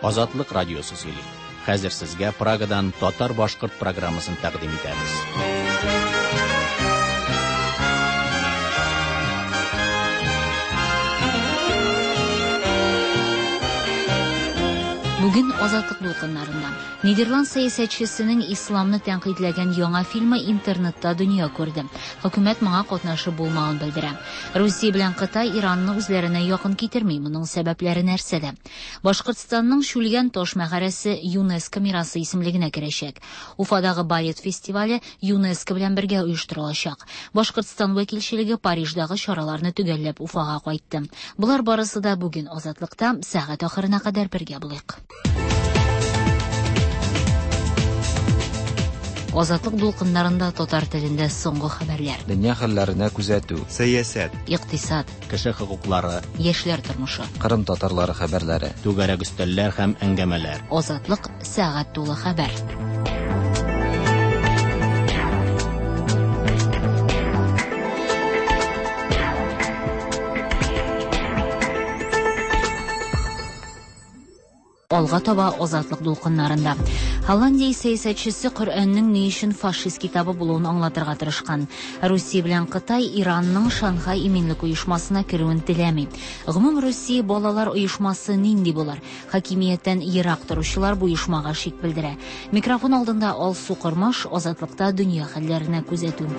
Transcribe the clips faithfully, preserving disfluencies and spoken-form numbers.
Азатлык радиосы сөйли. Хәзер сезгә Прагадан татар-башкорт программасын тәкъдим итәбез. Бүген Азатлык дулкыннарында Нидерланд сәясәтчесенең исламны тәнкыйтьләгән яңа фильмы интернетта дөнья күрде. Хөкүмәт моңа катнашы булмавын белдерә. Русия белән Кытай Иранны үзләренә якын китерми. Моның сәбәпләре нәрсәдә? Башкортстанның Шүлгән таш мәгарәсе ЮНЕСКО мирасы исемлегенә керәчәк. Уфадагы балет фестивале ЮНЕСКО белән бергә оештырылачак. Башкортстан вәкилчелеге Париждагы чараларны төгәлләп Уфага кайтты. Болар барысы да бүген Азатлыкта сәгать ахырына кадәр бергә булыйк. Азатлык дулкыннарында татар телендә соңгы хәбәрләр. Дөнья хәлләренә күзәтү. Сәясәт. Икътисад. Кеше хокуклары. Яшьләр тормышы. Кырым татарлары хәбәрләре. Түгәрәк өстәлләр һәм әңгәмәләр. Азатлык сәгать тулы хәбәр. Алга таба Азатлык дулкыннарында. Голландия сәясәтчесе Коръәннең ни өчен фашист китабы булуын аңлатырга тырышкан. Русия белән Кытай Иранның Шанхай иминлек оешмасына керүен теләми. Гомум Русия балалар оешмасы нинди булыр? Хакимияттән ерак торучылар бу оешмага шик белдерә. Микрофон алдында Алсу Кормаш, Азатлыкта дөнья хәлләренә күзәтү.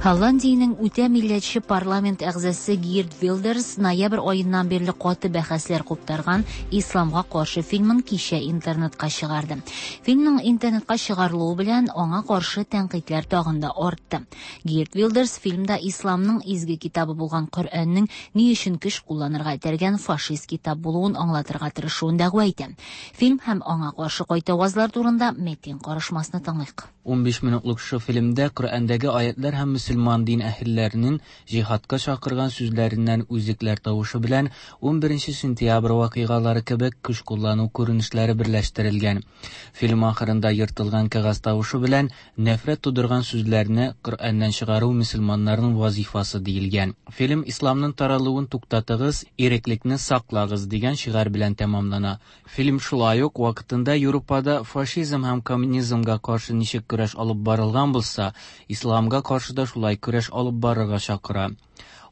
Голландиянең үтә милләтче парламент әгъзасы Гирт Вилдерс ноябрь аеннан бирле каты бәхәсләр куптарган исламга каршы фильмын кичә интернетка чыгарды. Фильмның интернетка чыгарылуы белән аңа каршы тәнкыйтьләр тагын да артты. Гирт Вилдерс фильмда исламның изге китабы булган Коръәннең ни өчен көч кулланырга этәргән фашист китап булуын аңлатырга тырышуын дәгъва итә. Фильм һәм аңа каршы кайтавазлар турында Метин карышмасны тыңлыйк. ун биш минутлык шу фильмдә Коръәндәге аятлар һәм мөселман дин әһелләренең җиһадка чакырган сүзләреннән үзекләр тавышы белән ун беренче сентябрь вакыйгалары кебек көч куллану күренешләре берләштерелгән. Фильм ахырында ертылган кәгазь тавышы белән нәфрәт тудырган сүзләрне Коръәннән чыгару мөселманнарның вазифасы диелгән. Фильм исламның таралуын туктатыгыз, иреклекне саклагыз дигән шигарь белән тәмамлана. Фильм шулай ук вакытында Европада фашизм һәм коммунизмга каршы ничек көрәш алып барылган булса, исламга каршы да шулай көрәш алып барырга чакыра.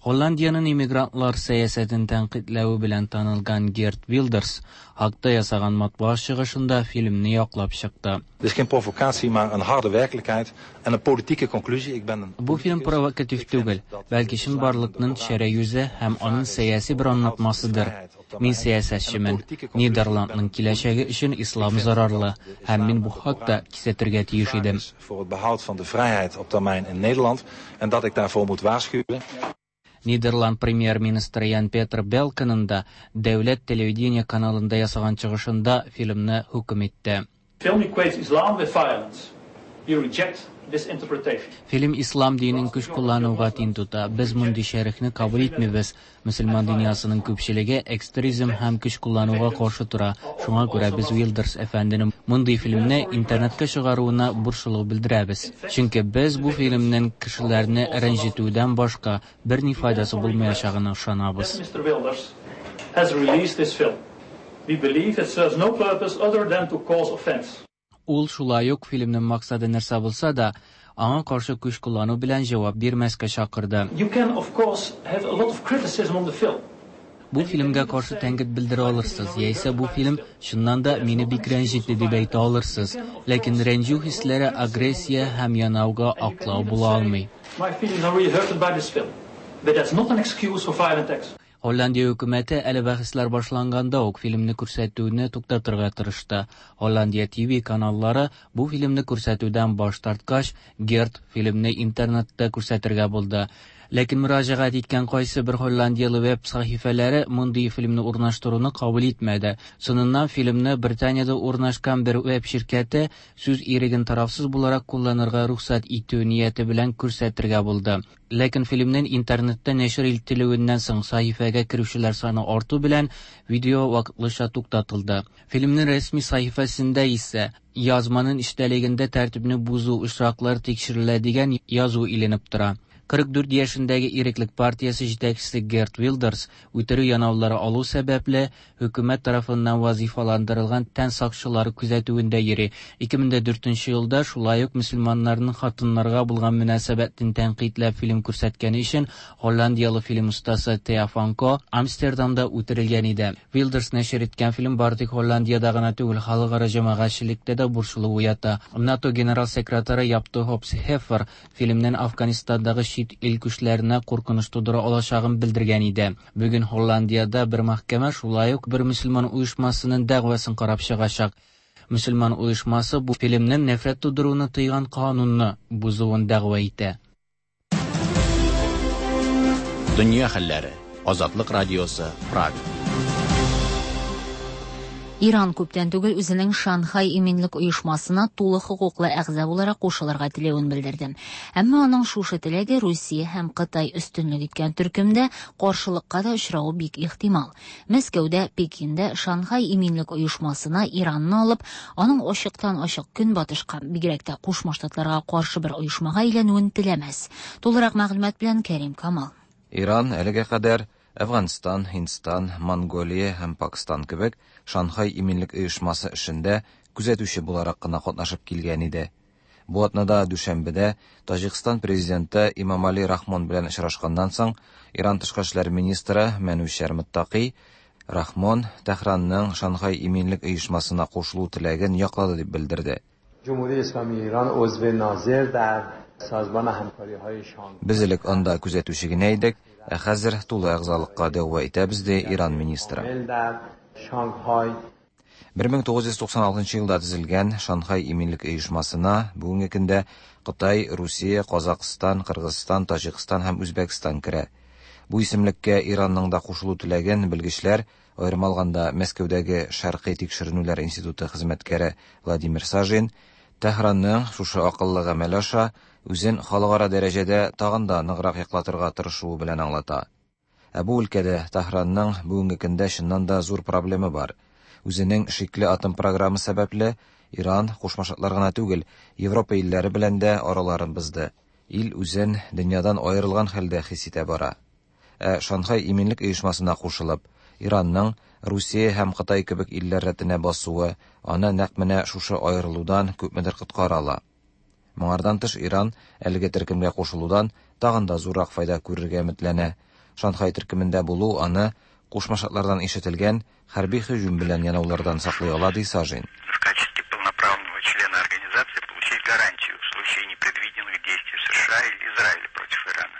Голландиянең иммигрантлар сәясәтен тәнкыйтьләве белән танылган Герт Вилдерс хакта ясаган матбугат чыгышында фильмны яклап чыкты. Dit is geen provocatie, maar een harde werkelijkheid en een politieke conclusie. Ik ben een Бу фильм провокатив түгел, бәлки чынбарлыкның шәрә йөзе һәм аның сәяси бер аңлатмасыдыр. Мин сәясәтчемен. Нидерландның киләчәге өчен ислам зарарлы, һәм мин бу хакта кисәтергә тиеш идем. Voor het behoud van de vrijheid op termijn in Nederland en dat ik daarvoor moet waarschuwen. Нидерланд премьер-министры Ян Петр Белкенның да дәүләт телевидение каналында ясаган чыгышында фильмны хөкем итте. Film equates Islam with violence. We reject this interpretation. Фильм ислам динен көч куллануга тиң тота. Без мондый шәрехне кабул итмибез. Мөселман дөньясының күпчелеге экстремизм һәм көч куллануга каршы тора. Шуңа күрә без Вилдерс әфәнденең мондый фильмны интернетка чыгаруына борчылу белдерәбез. Чөнки без бу фильмнең кешеләрне рәнҗетүдән башка берни файдасы булмаячагына ышанабыз. Mister Wilders has released this film. We believe it serves no purpose other than to cause offense. Ул шулай ук фильмның максаты нәрсә булса да, аңа каршы көч куллану белән җавап бирмәскә чакырды. You can of course have a lot of criticism on the film. Бу фильмгә каршы тәнкыйть белдерә алырсыз, яисә бу фильм чыннан да мине бик рәнҗетте дип әйтә алырсыз. Ләкин рәнҗү хисләре агрессия һәм янауга аклау була алмый. My feelings are really hurted by this film, but that's not an excuse for violent acts. Голландия хөкүмәте әле бәхәсләр башланганда ук фильмны күрсәтүне туктатырга тырышты. Голландия Т В каналлары бу фильмны күрсәтүдән баш тарткач, Герт фильмны интернетта күрсәтергә булды. Ләкин мөрәҗәгать иткән кайсы бер голландиялы веб сәхифәләре мондый фильмны урнаштыруны кабул итмәде. Соңыннан фильмны Британиядә урнашкан бер веб ширкәте сүз иреген тарафсыз буларак кулланырга рөхсәт итү нияте белән күрсәтергә булды. Ләкин фильмнең интернетта нәшер ителүеннән соң сәхифәгә керүчеләр саны арту белән видео вакытлыча туктатылды. Фильмнең рәсми сәхифәсендә исә язманың эчтәлегендә тәртипне бозу очраклары тикшерелә дигән язу иленеп тора. Кырык дүрт яшендәге Иреклек партиясе җитәкчесе Герт Вилдерс үтерү янаулары алу сәбәпле хөкүмәт тарафыннан вазифаландырылган тән сакчылары күзәтүендә йөри. Ике мең дә дүртенче елда шулай ук мөселманнарның хатыннарга булган мөнәсәбәтен тәнкыйтьләп фильм күрсәткәне өчен голландиялы фильм остасы Теа Фанко Амстердамда үтерелгән иде. Вилдерс нәшер иткән фильм бары тик Голландиядә гына түгел, халыкара җәмәгатьчелектә дә борчылу уята. НАТО генерал секретаре Яп де Хоп Хефер фильмнән Афганистандагы чит ил көчләренә куркыныч тудыра алачагын белдергән иде. Бүген Голландиядә бер мәхкәмә шулай ук бер мөселман оешмасының дәгъвасын карап чыгачак. Мөселман оешмасы бу фильмнең нәфрәт тудыруны тыйган канунны бозуын дәгъва итә. Дөнья хәлләре. Азатлык радиосы, Прага. Иран күптән түгел үзенең Шанхай иминлек оешмасына тулы хокуклы әгъза буларак кушылырга теләвен белдерде. Әмма аның шушы теләге Русия һәм Кытай өстенлек иткән төркемдә каршылыкка да очравы бик ихтимал. Мәскәүдә, Пекиндә Шанхай иминлек оешмасына Иранны алып, аның ачыктан-ачык көнбатышка, бигрәк тә Кушма Штатларга каршы бер оешмага әйләнүен теләмәс. Тулырак мәгълүмат белән Кәрим Камал. Иран әлегә кадәр Әфганстан, Һиндстан, Монголия һәм Пакистан кебек Шанхай иминлек оешмасы эшендә күзәтүче буларак кына катнашып килгән иде. Бу атнада Дүшәнбедә Таҗикстан президенты Имамали Рахмон белән очрашканнан соң Иран тышкы эшләр министры Мәнүчәр Мөттаки Рахмон Тәһранның Шанхай иминлек оешмасына кушылу теләген яклады дип белдерде. Без элек анда күзәтүче генә идек, ә хәзер тулы әгъзалыкка дәгъва итәбез, ди Иран министры. бер мең тугыз йөз туксан алтынчы елда төзелгән Шанхай иминлек оешмасына бүгенге көндә Кытай, Русия, Казакъстан, Кыргызстан, Таҗикстан һәм Үзбәкстан керә. Бу исемлеккә Иранның да кушылу теләген белгечләр, аерым алганда Мәскәүдәге Шәркый тикшеренүләр институты хезмәткәре Владимир Сажин, Тәһранның шушы акыллы гамәл аша үзен халыкара дәрәҗәдә тагын да ныграк яклатырга тырышуы белән аңлата. Ә бу өлкәдә Тәһранның бүгенге көндә чыннан да зур проблемы бар. Үзенең шикле атом программы сәбәпле Иран Кушма Штатлар гына түгел, Европа илләре белән дә араларын бозды. Ил үзен дөньядан аерылган хәлдә хис итә бара. Ә Шанхай иминлек оешмасына кушылып, Иранның Русия һәм Кытай кебек илләр рәтенә басуы аны нәкъ менә шушы аерылудан күпмедер коткара ала. Моңардан тыш Иран әлеге төркемгә кушылудан тагын да зуррак файда күрергә өметләнә. Шанхай төркемендә булу аны Кушма Штатлардан ишетелгән хәрби һөҗүм белән янаулардан саклый ала, ди Сажин. В качестве полноправного члена организации получить гарантию в случае непредвиденных действий США или Израиля против Ирана.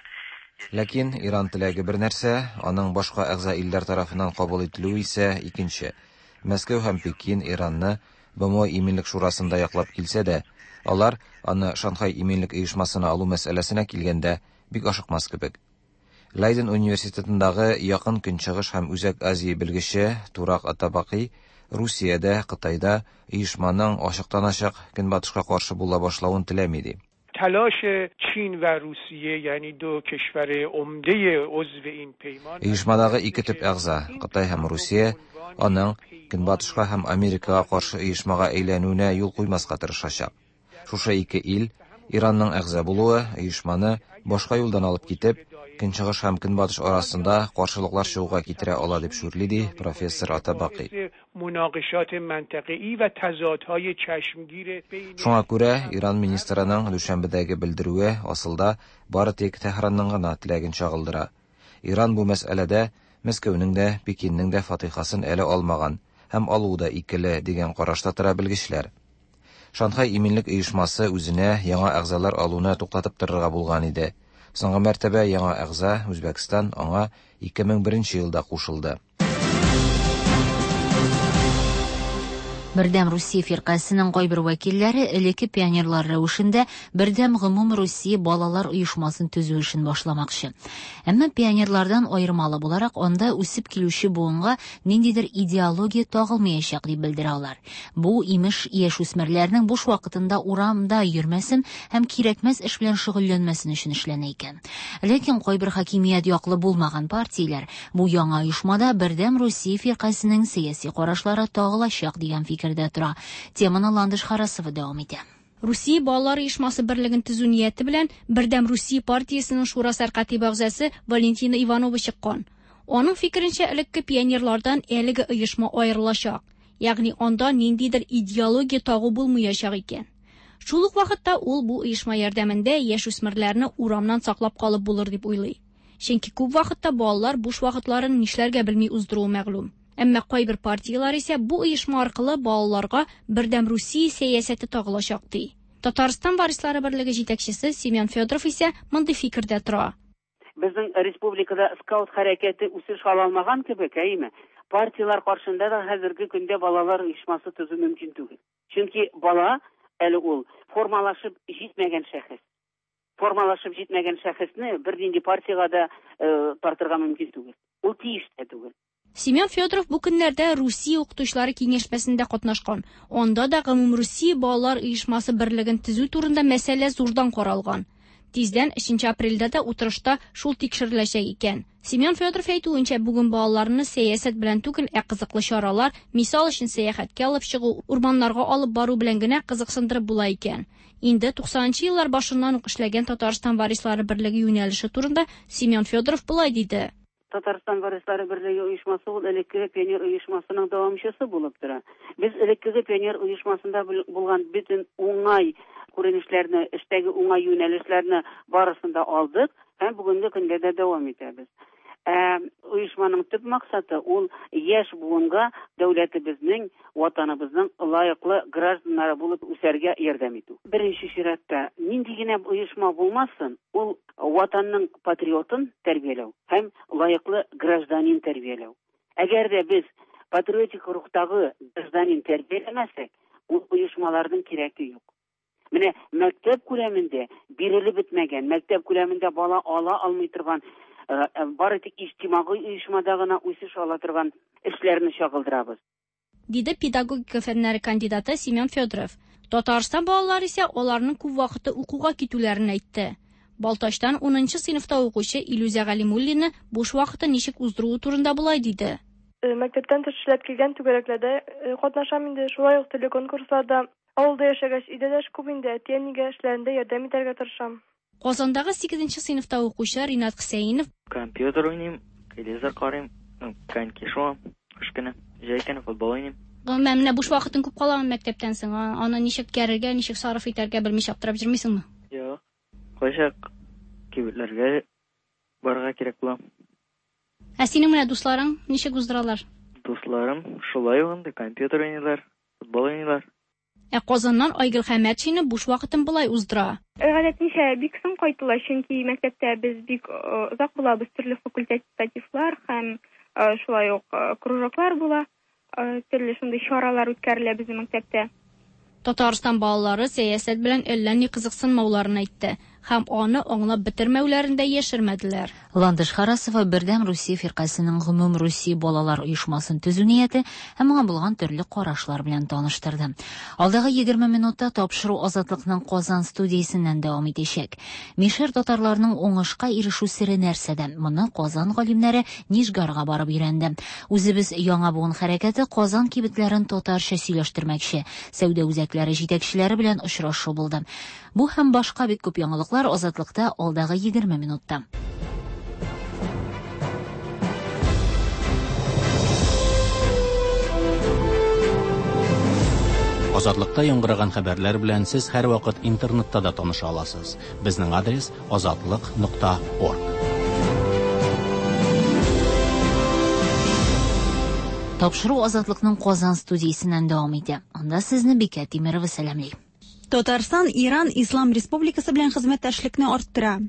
Ләкин Иран теләге бер нәрсә, аның башка әгъза илләр тарафыннан кабул ителүе исә икенче. Мәскәү һәм Пекин Иранны БМО иминлек шурасында яклап килсә дә, алар аны Шанхай иминлек оешмасына алу мәсьәләсенә килгәндә бик ашыкмас кебек. Лейден университетындагы Якын Көнчыгыш һәм Үзәк Азия белгече Турак Атабаки Русиядә, Кытайда оешманың ачыктан-ачык Көнбатышка каршы була башлавын теләми ди. تلاش چین و روسیه یعنی دو کشور عمده عضو این پیمان Оешмадагы ике төп әгъза, Кытай һәм Русия, аның Көнбатышка һәм Америкага каршы оешмага әйләнүенә юл куймаска тырышачак. Шушы ике ил Иранның әгъза булуы оешманы башка юлдан алып китеп, Көнчыгыш һәм Көнбатыш арасында каршылыклар чыгуга китерә ала дип шүрли, ди профессор Атабаки. مناقشات منطقه‌ای و تضادهای چشمگیر بین Шуңа күрә Иран министрының Дүшәнбедәге белдерүе асылда бары тик Тәһранның гына теләген чагылдыра. Иран бу мәсьәләдә Мәскәүнең дә, Пекиннең дә фатихасын әле алмаган һәм алуы да икеле дигән карашта тора белгечләр. Шанхай иминлек оешмасы үзенә яңа әгъзалар алуны туктатып торырга булган иде. Соңгы мәртәбә яңа әгъза Үзбәкстан аңа ике мең беренче елда кушылды. Бердәм Русия фиркасының кайбер вәкилләре элекке пионерлар рәвешендә Бердәм гомум Русия балалар оешмасын төзү эшен башламакчы. Әмма пионерлардан аермалы буларак анда үсеп килүче буынга ниндидер идеология тагылмаячак дип белдерә алар. Бу имеш яшүсмерләрнең буш вакытында урамда йөрмәсен һәм кирәкмәс эш белән шөгыльләнмәсен өчен эшләнә икән. Ләкин кайбер хакимият яклы булмаган партияләр бу яңа оешмада Бердәм Русия фиркасының сәяси карашлары тагылачак дигән фикердә тора. Теманы Ландыш Харасова дәвам итә. Русия балалар оешмасы берлеген төзү нияте белән Бердәм Русия партиясенең шура сәркатибе әгъзасы Валентина Иванова чыккан. Аның фикеренчә, элекке пионерлардан әлеге оешма аерылачак, ягъни анда ниндидер идеология тагу булмаячак икән. Шул ук вакытта ул бу оешма ярдәмендә яшүсмерләрне урамнан саклап калып булыр дип уйлый. Чөнки күп вакытта балалар буш вакытларын нишләргә белми уздыруы мәгълүм. Әмма кайбер партияләр исә бу оешма аркылы балаларга Бердәм Русия сәясәте тагылачак ди. Татарстан варислары берлеге җитәкчесе Семен Федоров исә мондый фикердә тора. Безнең республикада скаут хәрәкәте үсеш ала алмаган кебек, әйеме? Партияләр каршында да хәзерге көндә балалар оешмасы төзү мөмкин түгел. Чөнки бала әле ул формалашып җитмәгән шәхес. Формалашып җитмәгән шәхесне бернинди партиягә дә тартырга мөмкин түгел. Ул тиеш тә түгел. Семен Федоров бу көннәрдә Русия укытучылары киңәшмәсендә катнашкан. Анда да Гомумрусия балалар оешмасы берлеген төзү турында мәсьәлә зурдан каралган. Тиздән өченче апрельдә дә утырышта шул тикшереләчәк икән. Семен Федоров әйтүенчә, бүген балаларны сәясәт белән түгел, ә кызыклы чаралар, мисал өчен сәяхәткә алып чыгу, урманнарга алып бару белән генә кызыксындырып була икән. Инде туксанынчы еллар башыннан ук эшләгән Татарстан варислары берлеге юнәлеше турында Семен Федоров болай диде. Татарстан варислары берлеге оешмасы ул элеккеге пионер оешмасының дәвамчысы булып тора. Без элеккеге пионер оешмасында булган бөтен уңай күренешләрне, эштәге уңай юнәлешләрне барысын да алдык һәм бүгенге көндә дә дәвам итәбез. Ә оешманың төп максаты ул яшь буынга дәүләтебезнең, ватаныбызның лаеклы гражданнары булып үсәргә ярдәм итү. Беренче чиратта нинди генә оешма булмасын, ул ватанның патриотын тәрбияләү һәм лаеклы гражданин тәрбияләү. Әгәр дә без патриотик рухтагы гражданин тәрбияләмәсәк, ул оешмаларның кирәге юк. Менә мәктәп күләмендә бирелеп бетмәгән, мәктәп күләмендә бала ала алмый торган, бары тик иҗтимагый оешмада гына үсеш ала торган эшләрне чагылдырабыз, диде педагогика фәннәре кандидаты Семен Федоров. Татарстан балалары исә аларның күп вакыты укуга китүләрен әйтте. Балтачтан унынчы сыйныфта укучы Илюзә Галимуллина буш вакытын ничек уздыруы турында болай диде. Мәктәптән тыш эшләп килгән түгәрәкләрдә катнашам инде, шулай ук төрле конкурсларда. Авылда яшәгәч, өйдә дә эш күп инде, әти-әнигә эшләрендә ярдәм итәргә тырышам. Казандагы сигезенче сыйныфта укучы Ринат Хөсәенов: Компьютер уйныйм, телевизор карыйм, коньки шуам, кыш көне, җәй көне футбол уйныйм. Гомумән, менә буш вакытың күп каламы мәктәптән соң? Аны ничек үткәрергә, ничек сарыф итәргә белмичә аптырап йөрмисеңме? Юк. Кайчак кибетләргә барырга кирәк була. Ә синең менә дусларың ничек уздыралар? Дусларым шулай ук инде компьютер уйныйлар, футбол уйныйлар. Ә Казаннан Айгөл Хәмәтшина буш вакытын болай уздыра. Гадәтенчә бик соң кайтыла, чөнки мәктәптә без бик озак булабыз, төрле факультативлар һәм шулай ук кружоклар була, төрле шундый чаралар үткәрелә безнең мәктәптә. Татарстан балалары сәясәт белән әллә ни кызыксынмауларын әйтте һәм аны аңлап бетермәүләрен дә яшермәделәр. Ландыш Харасова Бердәм Русия фиркасының Гомум Русия балалар оешмасын төзү нияте һәм моңа булган төрле карашлар белән таныштырды. Алдагы егерме минутта тапшыру Азатлыкның Казан студиясеннән дәвам итәчәк. Мишәр татарларының уңышка ирешү сере нәрсәдә? Моны Казан галимнәре Нижгарга барып өйрәнде. Үзебез яңа буын хәрәкәте Казан кибетләрен татарча сөйләштермәкче. Сәүдә үзәкләре җитәкчеләре белән очрашу булды. Бу һәм башка бик күп яңалыклар Азатлыкта алдагы егерме минутта. Азатлыкта яңгыраган хәбәрләр белән сез һәрвакыт интернетта да таныша аласыз. Безнең адрес азатлык нокта орг. Тапшыру Азатлыкның Казан студиясеннән дәвам итә. Анда сезне Бикә Тимирова сәламли. Татарстан Иран Ислам Республикасы белән хезмәттәшлекне арттыра.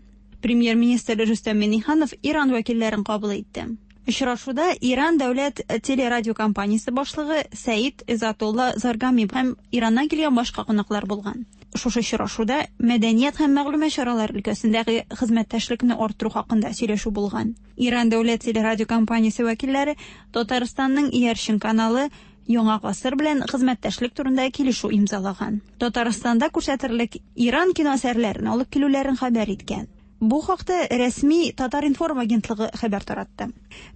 Премьер-министр Рөстәм Миңнеханов Иран вәкилләрен кабул итте. Очрашуда Иран дәүләт телерадиокомпаниясе башлыгы Сәид Изатулла Заргами һәм Ираннан килгән башка кунаклар булган. Шушы очрашуда мәдәният һәм мәгълүмат чаралары өлкәсендәге хезмәттәшлекне арттыру хакында сөйләшү булган. Иран дәүләт телерадиокомпаниясе вәкилләре Татарстанның иярчен каналы Яңа гасыр белән хезмәттәшлек турында килешү имзалаган. Татарстанда күрсәтерлек Иран кино әсәрләрен алып килүләрен хәбәр иткән. Бу хакта рәсми Татар-информ агентлыгы хәбәр таратты.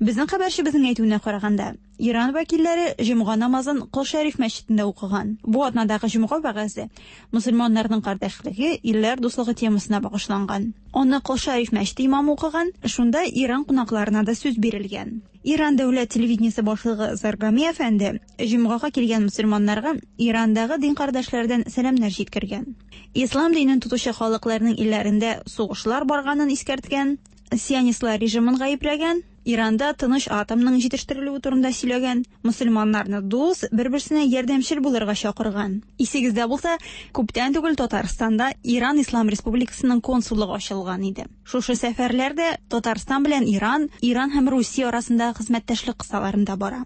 Безнең хәбәрчебезнең әйтүенә караганда, Иран вәкилләре җомга намазын Кол Шәриф мәчетендә укыган. Бу атнадагы җомга вәгазе мөселманнарның кардәшлеге, илләр дуслыгы темасына багышланган. Аны Кол Шәриф мәчете имамы укыган, шунда Иран кунакларына да сүз бирелгән. Иран дәүләт телевидениесе башлыгы Заргами әфәнде җомгага килгән мөселманнарга Ирандагы дин кардәшләрдән сәламнәр җиткергән. Ислам динен тотучы халыкларның илләрендә сугышлар барганын искәрткән, сионистлар режимын гаепләгән, Иранда тыныч атомның җитештерелүе турында сөйләгән, мөселманнарны дус, бер-берсенә ярдәмчел булырга чакырган. Исегездә булса, күптән түгел Татарстанда Иран Ислам Республикасының консуллыгы ачылган иде. Шушы сәфәрләр дә Татарстан белән Иран, Иран һәм Русия арасындагы хезмәттәшлек кысаларында бара.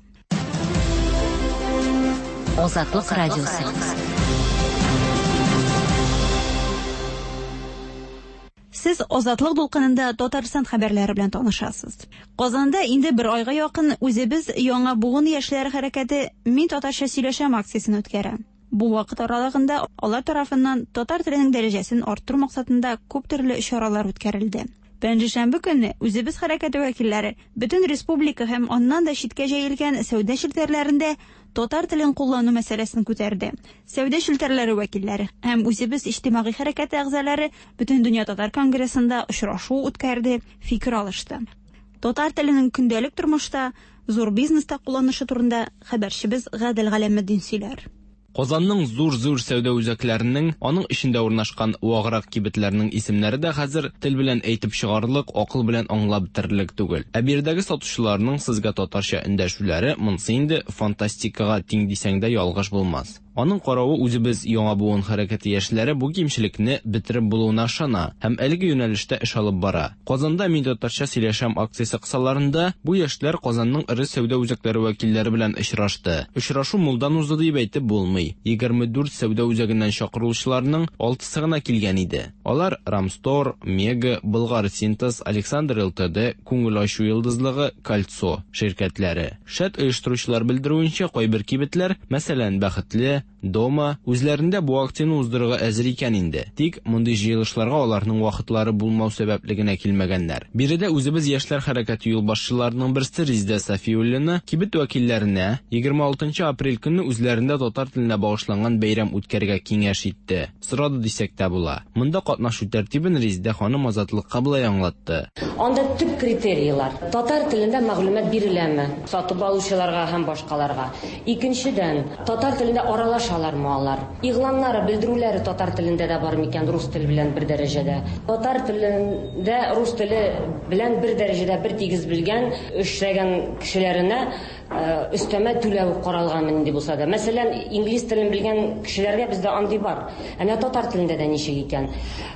Азатлык радиосы. Сез Азатлык дулкынында Татарстан хәбәрләре белән танышасыз. Казанда инде бер айга якын үзебез яңа буын яшьләр хәрәкәте Мин татарча сөйләшәм акциясен үткәрә. Бу вакыт аралыгында алар тарафыннан татар теленең дәрәҗәсен арттыру максатында күп төрле чаралар үткәрелде. Пәнҗешәмбе көнне үзебез хәрәкәте вәкилләре бөтен республика һәм аннан да читкә җәелгән сәүдә челтәрләрендә татар телен куллану мәсьәләсен күтәрде. Сәүдә челтәрләре вәкилләре һәм үзебез иҗтимагый хәрәкәте әгъзалары Бөтен дөнья татар конгрессында очрашу үткәрде, фикер алышты. Татар теленең көндәлек тормышта, зур бизнеста кулланышы турында хәбәрчебез Гадел Галәметдин сөйләр. Казанның зур-зур сәүдә үзәкләренең, аның эчендә урнашкан ваграк кибетләрнең исемнәре дә хәзер тел белән әйтеп чыгарлык, акыл белән аңлап бетерерлек түгел. Ә биредәге сатучыларның сезгә татарча эндәшүләре монсы инде фантастикага тиң дисәң дә ялгыш булмас. Аның каравы үзебез яңа буын хәрәкәте яшьләре бу кимчелекне бетереп булуына ышана һәм әлеге юнәлештә эш алып бара. Казанда Мин татарча сөйләшәм акциясе кысаларында бу яшьләр Казанның эре сәүдә үзәкләре вәкилләре белән очрашты. Очрашу мулдан узды дип әйтеп булмый. егерме дүрт сәүдә үзәгеннән чакырылучыларның алтысы гына килгән иде. Алар Рамстор, Мега, Болгар Синтез, Александр ЛТД, Күңел ачу йолдызлыгы, Кольцо ширкәтләре. Шәт оештыручылар белдерүенчә, кайбер кибетләр, мәсәлән, Бәхетле, Дома үзләрендә бу акцияне уздырырга әзер икән инде. Тик мондый җыелышларга аларның вакытлары булмау сәбәпле генә килмәгәннәр. Биредә үзебез яшьләр хәрәкәте юлбашчыларының берсе Резидә Сафиуллина кибет вәкилләренә егерме алтынчы апрель көнне үзләрендә татар теленә багышланган бәйрәм үткәрергә киңәш итте. Сорады дисәк тә була. Монда катнашу тәртибен Резидә ханым Азатлыкка болай аңлатты. Анда төп критерийлар: татар телендә мәгълүмат биреләме сатып алучыларга һәм башкаларга. Икенчедән, татар телендә аралашалармы алар? Игъланнары, белдерүләре татар телендә дә бар микән, рус теле белән бер дәрәҗәдә? Татар телендә рус теле белән бер дәрәҗәдә бер тигез белгән, эшләгән кешеләренә өстәмә түләү каралган нинди булса да. Мәсәлән, инглиз телен белгән кешеләргә бездә андый бар. Ә менә татар телендә дә ничек икән?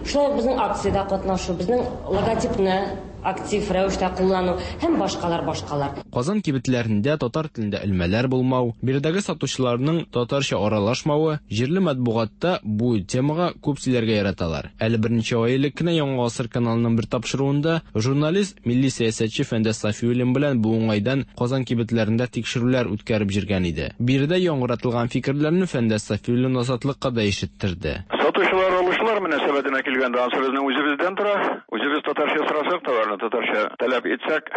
Шулай безнең акциядә катнашу, безнең логотипны актив рәвештә куллану һәм башкалар башкалар. Казан кибетләрендә татар телендә элмәләр булмау, биредәге сатучыларның татарча аралашмавы, җирле матбугатта бу темага күп сөйләргә яраталар. Әле берничә ай элек кенә Яңа Гасыр каналының бер тапшыруында журналист, милли сәясәтче Фәндәс Сафиуллин белән бу уңайдан Казан кибетләрендә тикшерүләр үткәреп җиргән иде. Биредә яңгыратылган фикерләрне Фәндәс Сафиуллин Азатлыкка да ишеттерде. Сатучылар, алучылар мөнәсәбәтенә килгәндә, ансы безнең үзебездән тора. Үзебез татарча сорасак, товарны татарча таләп итсәк,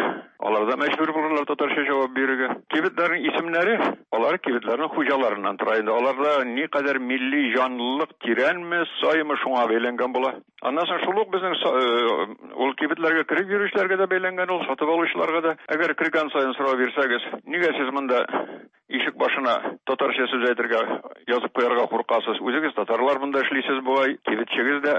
алар да мәҗбүр булырлар татарча җавап бирергә. Кибетләрнең исемнәре, алар кибетләрнең хуҗаларыннан тора инде. Аларда никадәр милли җанлылык тирәнме, саймы шуңа бәйләнгән була. Аннан соң шул ук безнең ул кибетләргә кереп йөрүчеләргә дә бәйләнгән ул, сатып алучыларга да. Әгәр кергән саен сорау бирсәгез, нигә сез монда ишек башына татарча сүз әйтергә, язып куярга куркасыз? Үзегез татарлар монда эшлисез бугай, кибетчегез дә,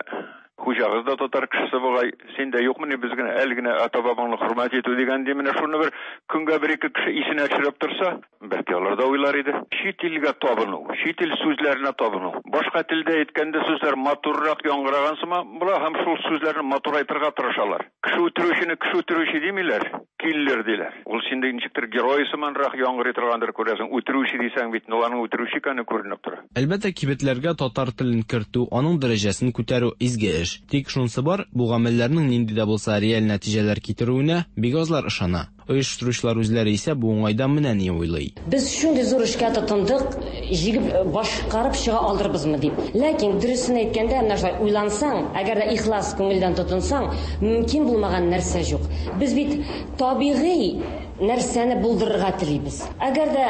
хуҗагыз да татар кешесе бугай, син дә юкмыни без генә әле генә ата-бабаңны хөрмәт итү дигән ди. Менә шуны бер көнгә бер ике кеше исенә төшереп торса, бәлки алар да уйлар иде. Чит илгә табыну, чит ил сүзләренә табыну. Башка телдә әйткәндә сүзләр матуррак яңгыраган сыман була һәм шул сүзләрне матурайтырга тырышалар. Кеше үтерүчене кеше үтерүче димиләр, киллер диләр. Ул синде ничектер герой сыманрак яңгырый торгандыр күрәсең. Үтерүче дисәң бит, аларның үтерүче икәне күренеп тора. Әлбәттә, кибетләргә татар телен кертү, аның дәрәҗәсен күтәрү изге эш. Тик шунысы бар, бу гамәлләрнең нинди дә булса реаль нәтиҗәләр китерүенә бик азлар ышана. Оештыручылар үзләре исә бу уңайдан менә ни уйлый. Без шундый зур эшкә тотындык, җигеп башкарып чыга алырбызмы дип. Ләкин дөресен әйткәндә, менә шулай уйлансаң, әгәр дә ихлас күңелдән тотынсаң, мөмкин булмаган нәрсә юк. Без бит табигый нәрсәне булдырырга телибез. Әгәр дә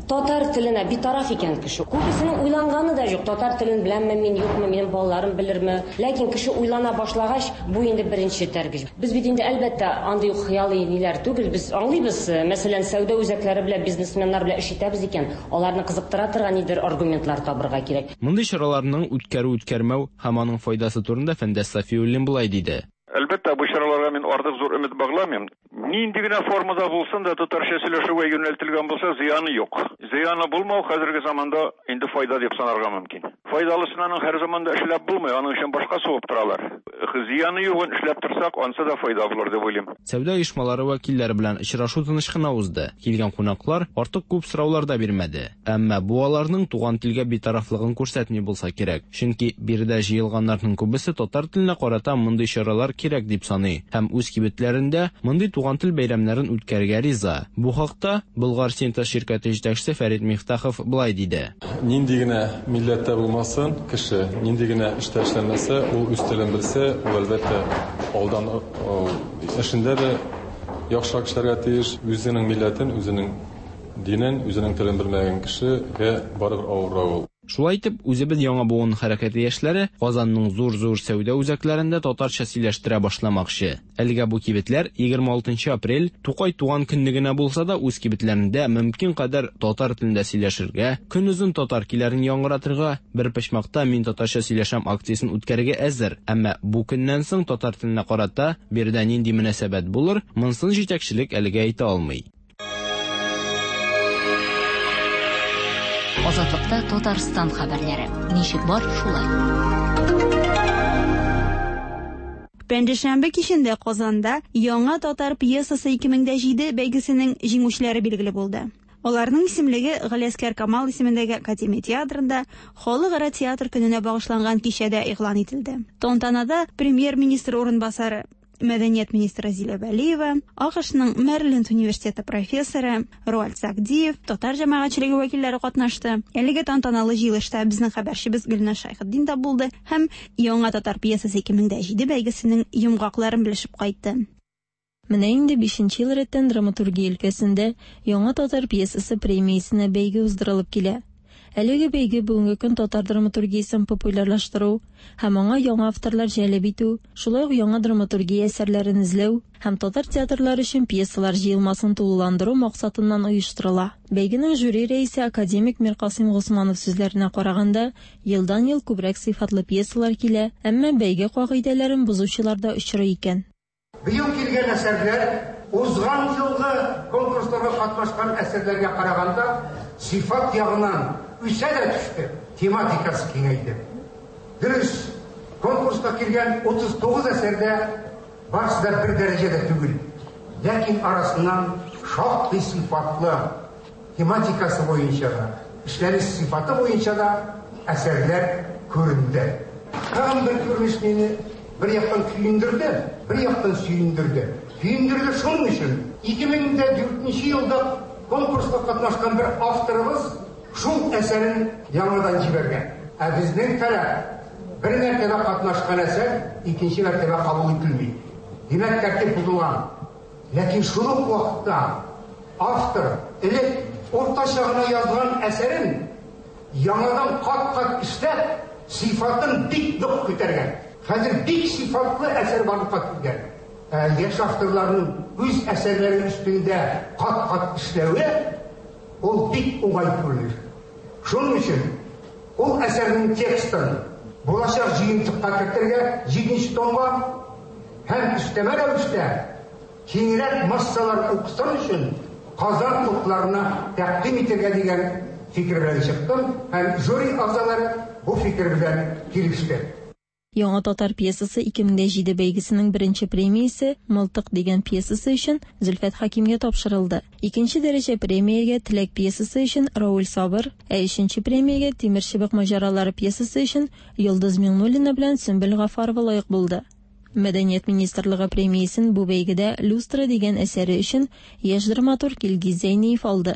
татар теленә битараф икән кеше, күбесенең уйланганы да юк. Татар телен беләмме мин, юкмы, минем балаларым белерме? Ләкин кеше уйлана башлагач, бу инде беренче тәргеч. Без бит инде әлбәттә андый ук хыялый ниләр түгел, без аңлыйбыз, мәсәлән, сәүдә үзәкләре белән, бизнесменнар белән эш итәбез икән, аларны кызыктыра торган нидер аргументлар табырга кирәк. Мондый чараларның үткәрү-үткәрмәү һәм аның файдасы турында Фәндәс Сафиуллин болай диде. Әлбәттә, бу чараларга мин артык зур өмет багламыйм. Нинди генә формада булсын да татарча сөйләшүгә юнәлтелгән булса, зыяны юк. Зыяны булмау хәзерге заманда инде файда дип санарга мөмкин. Файдалысын аның һәр заманда эшләп булмый, аның өчен башка сугып торалар. Зыяны югын эшләп торсак, ансы да файда булыр дип уйлыйм. Сәүдә оешмалары вәкилләре белән очрашу тыныч кына узды. Килгән кунаклар артык күп сораулар да бирмәде. Әмма бу аларның туган телгә битарафлыгын күрсәтми булса кирәк. Чөнки биредә җыелганнарның күбесе татар теленә карата мондый чаралар кирәк дип саный һәм үз кибетләрендә мондый туган тел бәйрәмнәрен үткәрергә риза. Бу хакта Болгар Синтез ширкәте җитәкчесе Фәрит Мифтахов болай диде. Нинди генә милләттә булмасын кеше, нинди генә эштә эшләмәсә, ул үз телен белсә, ул әлбәттә алдан эшендә дә яхшырак эшләргә тиеш. Үзенең милләтен, үзенең динен, үзенең телен белмәгән кешегә барыбер авыррак ул. Шулай итеп, үзебез яңа буын хәрәкәте яшьләре Казанның зур-зур сәүдә үзәкләрендә татарча сөйләштерә башламакчы. Әлегә бу кибетләр егерме алтынчы апрель Тукай туган көнне генә булса да үз кибетләрендә мөмкин кадәр татар телендә сөйләшергә, көнозын татар көйләрен яңгыратырга, бер почмакта мин татарча сөйләшәм акциясен үткәрергә әзер. Әмма бу көннән соң татар теленә карата биредә нинди мөнәсәбәт булыр, монысын җитәкчелек әлегә әйтә алмый. Азатлыкта Татарстан хәбәрләре. Ничек бар, шулай. Пәнҗешәмбе кичендә Казанда яңа татар пьесасы ике мең дә җиде бәйгесенең җиңүчеләре билгеле булды. Аларның исемлеге Галиәсгар Камал исемендәге Академия театрында Халыкара театр көненә багышланган кичәдә игълан ителде. Тантанада премьер-министр урынбасары, мәдәният министры Зилә Вәлиева, АКШның Мэриленд университеты профессоры Руальд Сагдиев, татар җәмәгатьчелеге вәкилләре катнашты. Әлеге тантаналы җыелышта безнең хәбәрчебез Гөлназ Шәйхетдин дә булды һәм яңа татар пьесасы ике мең дә җиде бәйгесенең йомгакларын белешеп кайтты. Менә инде бишенче ел рәттән драматургия өлкәсендә яңа татар пьесасы премиясенә бәйге уздырылып килә. Әлеге бәйге бүгенге көн татар драматургиясен популярлаштыру һәм аңа яңа авторлар җәлеп итү, шулай ук яңа драматургия әсәрләрен эзләү һәм татар театрлары өчен пьесалар җыелмасын тулыландыру максатыннан оештырыла. Бәйгенең жюри рәисе академик Миркасыйм Госманов сүзләренә караганда, елдан-ел күбрәк сыйфатлы пьесалар килә, әмма бәйге кагыйдәләрен бозучылар да очрый икән. Быел килгән әсәрләр узган елгы конкурсларга катнашкан әсәрләргә караганда сыйфат ягыннан үсә дә төште, тематикасы киңәйде. Дөрес, конкурска килгән утыз тугыз әсәрдә барысы да бер дәрәҗәдә түгел. Ләкин арасыннан шактый сыйфатлы тематикасы буенча да, эшләнеш сыйфаты буенча да әсәрләр күренде. Тагын бер күренеш мине бер яктан көендерде, бер яктан сөендерде. Көендерде шуның өчен, ике мең дә дүртенче елда конкурска катнашкан бер авторыбыз шул әсәрен яңадан җибәргән. Ә безнең таләп бер мәртәбә катнашкан әсәр икенче мәртәбә кабул ителми. Димәк, тәртип бозылган. Ләкин шул ук вакытта автор элек уртача гына язган әсәрен яңадан кат-кат эшләп, сыйфатын бик нык күтәргән. Хәзер бик сыйфатлы әсәр барлыкка килгән. Яшь авторларның үз әсәрләре өстендә кат-кат эшләве ул бик уңай күренеш. Шуның өчен ул әсәрнең текстын булачак җыентыкка кертергә, җиденче томга һәм өстәмә рәвештә киңрәк массалар укысын өчен Казан утларына тәкъдим итәргә дигән фикер белән чыктым һәм жюри әгъзалары бу фикер белән килеште. Яңа татар пьесасы ике мең дә җиде бәйгесенең беренче премиясе Мылтык дигән пьесасы өчен Зөлфәт Хакимгә тапшырылды. Икенче дәрәҗә премиягә Теләк пьесасы өчен Рауль Сабыр, ә өченче премиягә Тимерчыбык маҗаралары пьесасы өчен Йолдыз Миңнуллина белән Сөмбел Гафарова лаек булды. Мәдәният министрлыгы премиясен бу бәйгедә «Люстра» дигән әсәре өчен яшь драматург Илгиз Зәйниев алды.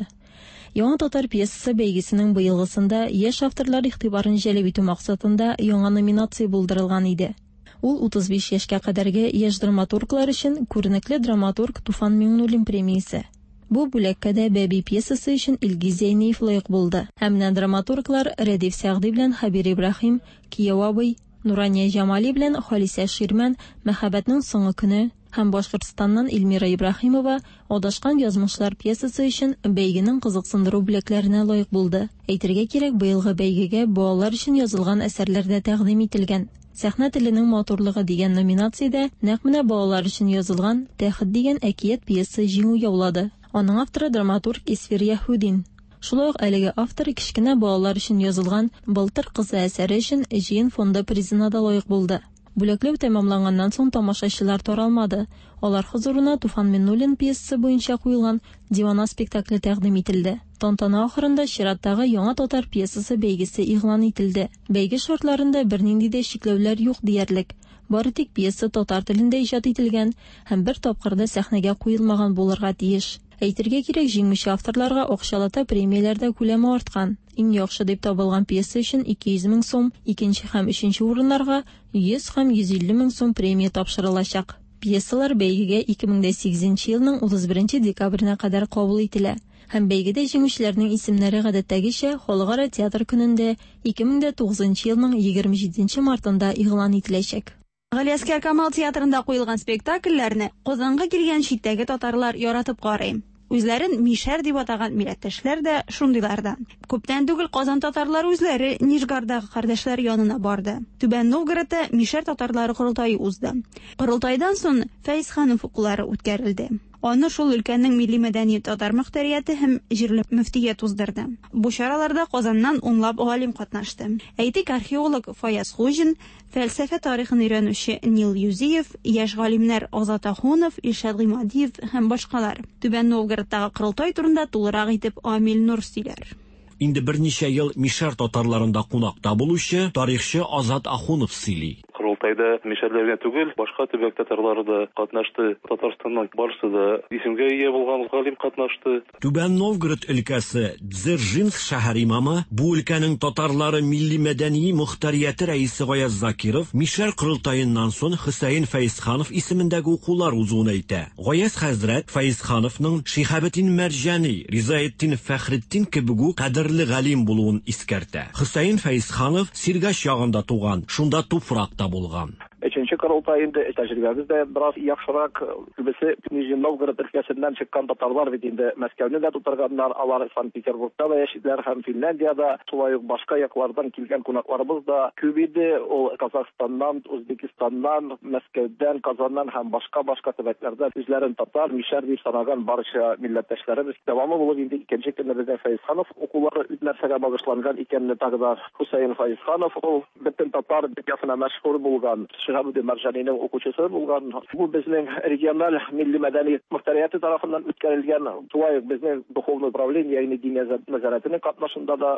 Яңа татар пьесасы бәйгесенең быелгысында яшь авторлар игътибарын җәлеп итү максатында яңа номинация булдырылган иде. Ул утыз биш яшькә кадәрге яшь драматурглар өчен күренекле драматург Туфан Миңнуллин премиясе. Бу бүләккә дә «Бәби» пьесасы өчен Илгиз Зәйниев лаек булды. Һәм менә драматурглар Рәдиф Сәгъди белән Хәбир Ибраһим, Кияү абый, Нурания Җамали белән Халисә Ширмән «Мәхәббәтнең соңгы көне» һәм Башкортстаннан Эльмира Ибраһимова «Адашкан язмышлар» пьесасы өчен бәйгенең кызыксындыру бүләкләренә лаек булды. Әйтергә кирәк, быелгы бәйгегә балалар өчен язылган әсәрләр дә тәкъдим ителгән. Сәхнә теленең матурлыгы дигән номинациядә нәкъ менә балалар өчен язылган «Тәхет» дигән әкият пьеса җиңү яулады. Аның авторы драматург Исфир Яһудин. Шулай ук әлеге автор кечкенә балалар өчен язылган «Былтыр кызы» әсәре өчен Җыен фонды призына да лаек булды. Бүләкләү тәмамланганнан соң тамашачылар таралмады. Алар хозурына Туфан Миңнуллин пьесасы буенча куелган «Дивана» спектакле тәкъдим ителде. Тантана ахырында чираттагы яңа татар пьесасы бәйгесе игълан ителде. Бәйге шартларында бернинди дә чикләүләр юк диярлек. Бары тик пьеса татар телендә иҗат ителгән һәм бер тапкыр да сәхнәгә куелмаган булырга тиеш. Әйтергә кирәк, җиңүче авторларга акчалата премияләрдә күләме арткан. Иң яхшы дип табылган пьеса өчен ике йөз мең сум, икенче һәм өченче урыннарга йөз һәм йөз илле мең сум премия тапшырылачак. Пьесалар бәйгегә ике мең дә сигезенче елның утыз беренче декабренә кадәр кабул ителә. Һәм бәйгедә җиңүчеләрнең исемнәре гадәттәгечә Халыкара театр көнендә ике мең дә тугызынчы елның егерме җиденче мартында игълан ителәчәк. Галиәсгар Камал театрында куелган спектакльләрне Казанга килгән читтәге татарлар яратып карый. Үзләрен мишәр дип атаган милләттәшләр дә шундыйлардан. Күптән түгел Казан татарлары үзләре Нижгардагы кардәшләр янына барды. Түбән Новгородта мишәр татарлары корылтае узды. Корылтайдан соң Фәйзханов укулары үткәрелде. Аны шул өлкәнең милли мәдәни татар мөхтәрияте һәм җирле мөфтият уздырды. Бу чараларда Казаннан унлап галим катнашты. Әйтик, археолог Фаяз Хуҗин, фәлсәфә тарихын өйрәнүче Нил Юзиев, яшь галимнәр Азат Ахунов, Илшат Гыймадиев һәм башкалар. Түбән Новгородтагы корылтай турында тулырак итеп Амил Нур сөйләр. Инде берничә ел мишәр татарларында кунакта булучы тарихчы Азат Ахунов сөйли. Корылтайда мишәрләр генә түгел, башка төбәк татарлары да катнашты. Татарстаннан барысы да исемгә ия булган галим катнашты. Түбән Новгород өлкәсе Дзержинск шәһәр имамы, бу өлкәнең татарлары милли мәдәни мөхтәрияте рәисе Гаяз Закиров мишәр корылтаеннан соң Хөсәен Фәйзханов исемендәге укулар узуын әйтә. Гаяз хәзрәт Фәйзхановның Шиһабетдин Мәрҗани, Ризаэтдин Фәхретдин кебек үк кадерле галим булуын искәртә. Хөсәен Фәйзханов Сиргаш ягында туган, шунда туфракта булган. Өченче корылтай инде тәҗрибәбез дә бераз яхшырак. Күбесе Нижний Новгород өлкәсеннән чыккан татарлар бит инде Мәскәүне дә тутырганнар, алар Санкт-Петербургта да яшиләр һәм Финляндиядә, шулай ук башка яклардан килгән кунакларыбыз да күп иде. Ул Казахстаннан, Үзбекстаннан, Мәскәүдән, Казаннан һәм башка-башка төбәкләрдән үзләрен татар, мишәр дип санаган барча милләттәшләребез. Дәвамы булып инде икенче көнне безнең Фәйзханов укулары нәрсәгә багышланган икәнне тагы да Хөсәен Фәйзханов ул бөтен татар дөньясына мәшһүр булган Шиһабетдин Мәрҗанинең укучысы булган. Бу безнең региональ милли мәдәни мөхтәрияте тарафыннан үткәрелгән, шулай ук безнең духовный управление, ягъни дин нәзарәтенең катнашында да.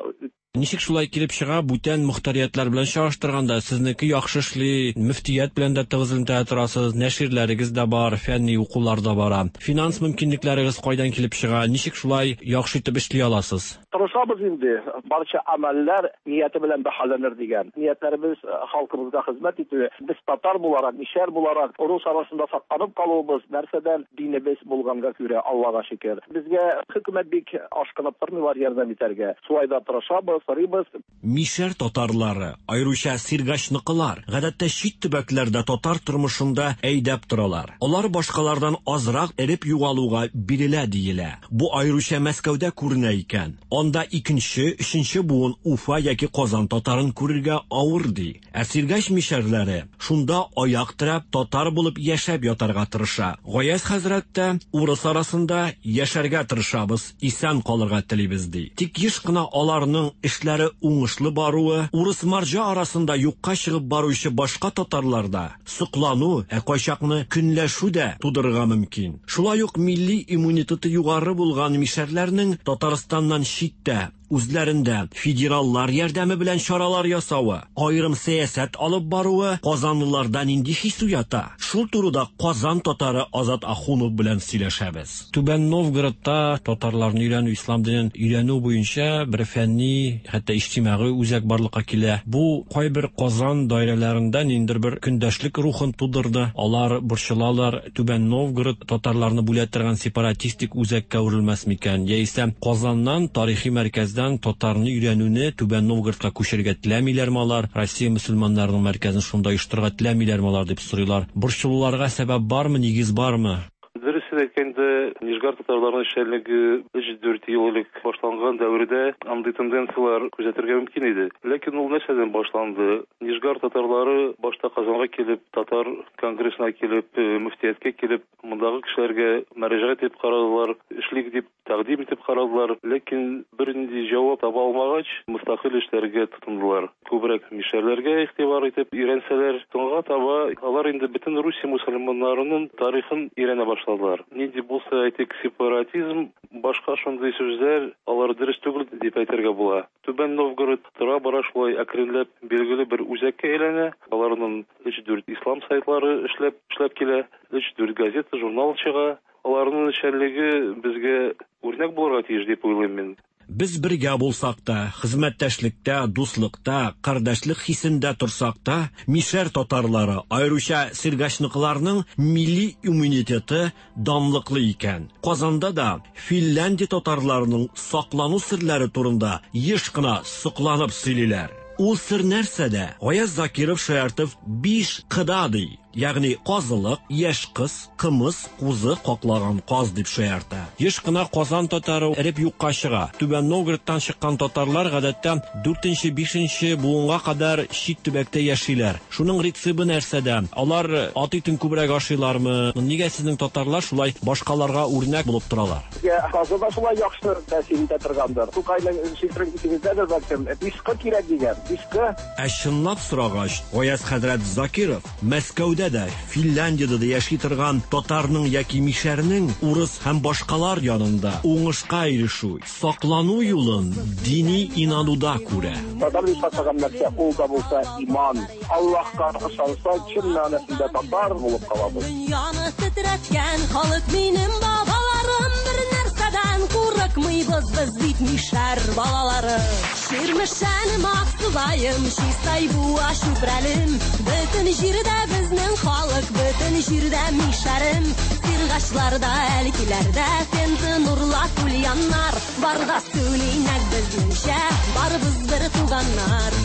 Ничек шулай килеп чыга, бүтән мөхтәриятләр белән чагыштырганда сезнеке яхшы эшли, мөфтият белән дә тыгыз элемтәдә торасыз, нәширләрегез дә бар, фәнни укулар да бара. Финанс мөмкинлекләрегез кайдан килеп чыга? Ничек шулай яхшы итеп эшли аласыз? Тырышабыз инде, барча амәлләр нияте белән бәһаләнер дигән. Ниятләребез халкыбызга хезмәт итү. Без татар буларак, мишәр буларак, урыс арасында сакланып калуыбыз нәрсәдән? Динебез булганга күрә, Аллага шөкер. Безгә хөкүмәт бик ашкынып тормыйлар ярдәм итәргә. Шулай да тырышабыз, сорыйбыз. Мишәр татарлары, аеруча сиргачныкылар, гадәттә чит төбәкләрдә татар тормышында әйдәп торалар. Алар башкалардан азрак эреп югалуга бирелә диелә. Бу аеруча Мәскәүдә күренә икән. Анда икенче, өченче буын Уфа яки Казан татарын күрергә авыр ди. Ә сиргач мишәрләре шунда аяк терәп татар булып яшәп ятарга тырыша. Гаяз хәзрәт тә урыс арасында яшәргә тырышабыз, исән калырга телибез ди. Тик еш кына аларның эшләре уңышлы баруы, урыс марҗа арасында юкка чыгып баручы башка татарларда соклану, ә кайчакны көнләшү дә тудырырга мөмкин. Шулай ук милли иммунитеты югары булган мишәрләрнең Татарстаннан читтә, үзләрендә федераллар ярдәме белән чаралар ясавы, аерым сәясәт алып баруы казанлыларда нинди хис уята? Шул турыда Казан татары Азат Ахунов белән сөйләшәбез. Түбән Новгородта татарларны өйрәнү, ислам динен өйрәнү буенча бер фәнни, хәтта иҗтимагый үзәк барлыкка килә. Бу кайбер Казан даирәләрендә ниндидер бер көндәшлек рухын тудырды. Алар борчылалар, Түбән Новгород татарларны бүлә торган сепаратистик үзәккә әверелмәс микән? Яисә Казаннан, тарихи мәркәздән татарны өйрәнүне Түбән Новгородка күчерергә теләмиләрме алар? Россия мөселманнарының мәркәзен шунда оештырырга теләмиләрме алар дип сорыйлар. Борчылуларга сәбәп бармы, нигез бармы? Дөресен әйткәндә, Нижгар татарларының эшчәнлеге өч-дүрт ел элек башланган дәвердә андый тенденцияләр күзәтергә мөмкин иде. Ләкин ул нәрсәдән башланды? Нижгар татарлары башта Казанга килеп, татар конгрессына килеп, мөфтияткә килеп, мондагы кешеләргә мөрәҗәгать итеп карадылар, эшлик дип тәкъдим итеп карадылар, ләкин бернинди җавап таба алмагач, мөстәкыйль эшләргә тотындылар. Күбрәк мишәрләргә игътибар итеп өйрәнсәләр, соңга таба алар инде бөтен Русия мөселманнарының тарихын өйрәнә башладылар. Нинди булса, әйтик, сепаратизм, башка шундый сүзләр, алар дөрес түгел дип әйтергә була. Түбән Новгород тора-бара шулай әкренләп билгеле бер үзәккә әйләнә. Аларның өч-дүрт ислам сайтлары эшләп эшләп килә, өч-дүрт газета, журнал чыга. Аларның эшчәнлеге безгә үрнәк булырга тиеш дип уйлыйм мин. Без бергә булсак та, хезмәттәшлектә, дуслыкта, кардәшлек хисендә торсак та, мишәр татарлары, аеруча сиргачныкыларның милли иммунитеты данлыклы икән. Казанда да Финляндия татарларының саклану серләре турында еш кына сокланып сөйлиләр. Ул сер нәрсәдә? Гаяз Закиров шаяртып биш кыда ди. Ягъни казылык, яшь кыз, кымыз, кузы каклаган каз дип шаярта. Еш кына Казан татары эреп юкка чыга. Түбән Новгородтан чыккан татарлар гадәттә дүртенче, бишенче буынга кадәр чит төбәктә яшиләр. Шуның рецепты нәрсәдә? Алар ат итен күбрәк ашыйлармы? Нигә сезнең татарлар шулай башкаларга үрнәк булып торалар? Казы да шулай яхшы тәэсир итә торгандыр. Тукайның шигырен исегездәдер бәлкем. Биш кы кирәк дигән, биш кы. Ә чынлап сорагач, Гаяз хәзрәт Закиров Мәскәүдә дә, Финляндиядә дә яши торган татарның яки мишәрнең урыс һәм башкалар янында уңышка ирешү, саклану юлын дини инануда күрә. Татар дип атаган нәрсә ул да булса иман. Аллаһка ышанса, чын мәгънәсендә татар булып калабыз. Дөньяны тетрәткән халык минем бабаларым, бер нәрсәдән курыкмыйбыз без бит мишәр балалары. Чирмешәнем, Аксубаем, Чистай, Буа, Чүпрәлем, бөтен җирдә безнең халык, бөтен җирдә мишәрем. Сиргачларда, Әлкиләрдә, Пенза, Нурлат, Ульяннар, барда сөйлинәк безнеңчә, барыбыз бер туганнар.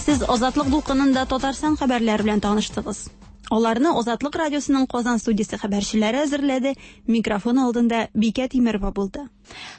Сез Азатлык дулкынында Татарстан хәбәрләре белән таныштыгыз. Аларны Азатлык радиосының Казан студиясе хәбәрчеләре әзерләде. Микрофон алдында Бикә Тимерова булды.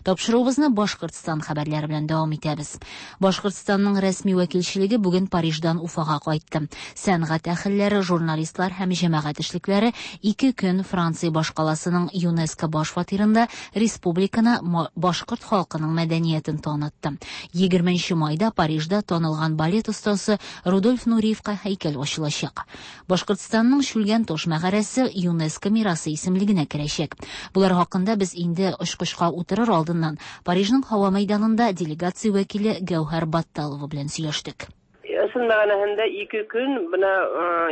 Тапшыруыбызны Башкортстан хәбәрләре белән дәвам итәбез. Башкортстанның рәсми вәкилчелеге бүген Париждан Уфага кайтты. Сәнгать әһелләре, журналистлар һәм җәмәгать эшлекләре ике көн Франция башкаласының ЮНЕСКО баш фатирында республиканы башкорт халкының мәдәниятен танытты. егерменче майда Парижда танылган балет остасы Рудольф Нуриевка һәйкәл ачылачак. Башкортстанның Шүлгән таш мәгарәсе ЮНЕСКО мирасы исемлегенә керәчәк. Булар хакында без инде очкычка утырыр алдыннан Парижның һава мәйданында делегация вәкиле Гәүһәр Батталова белән сөйләштек. Ысын мәгънәһендә ике көн менә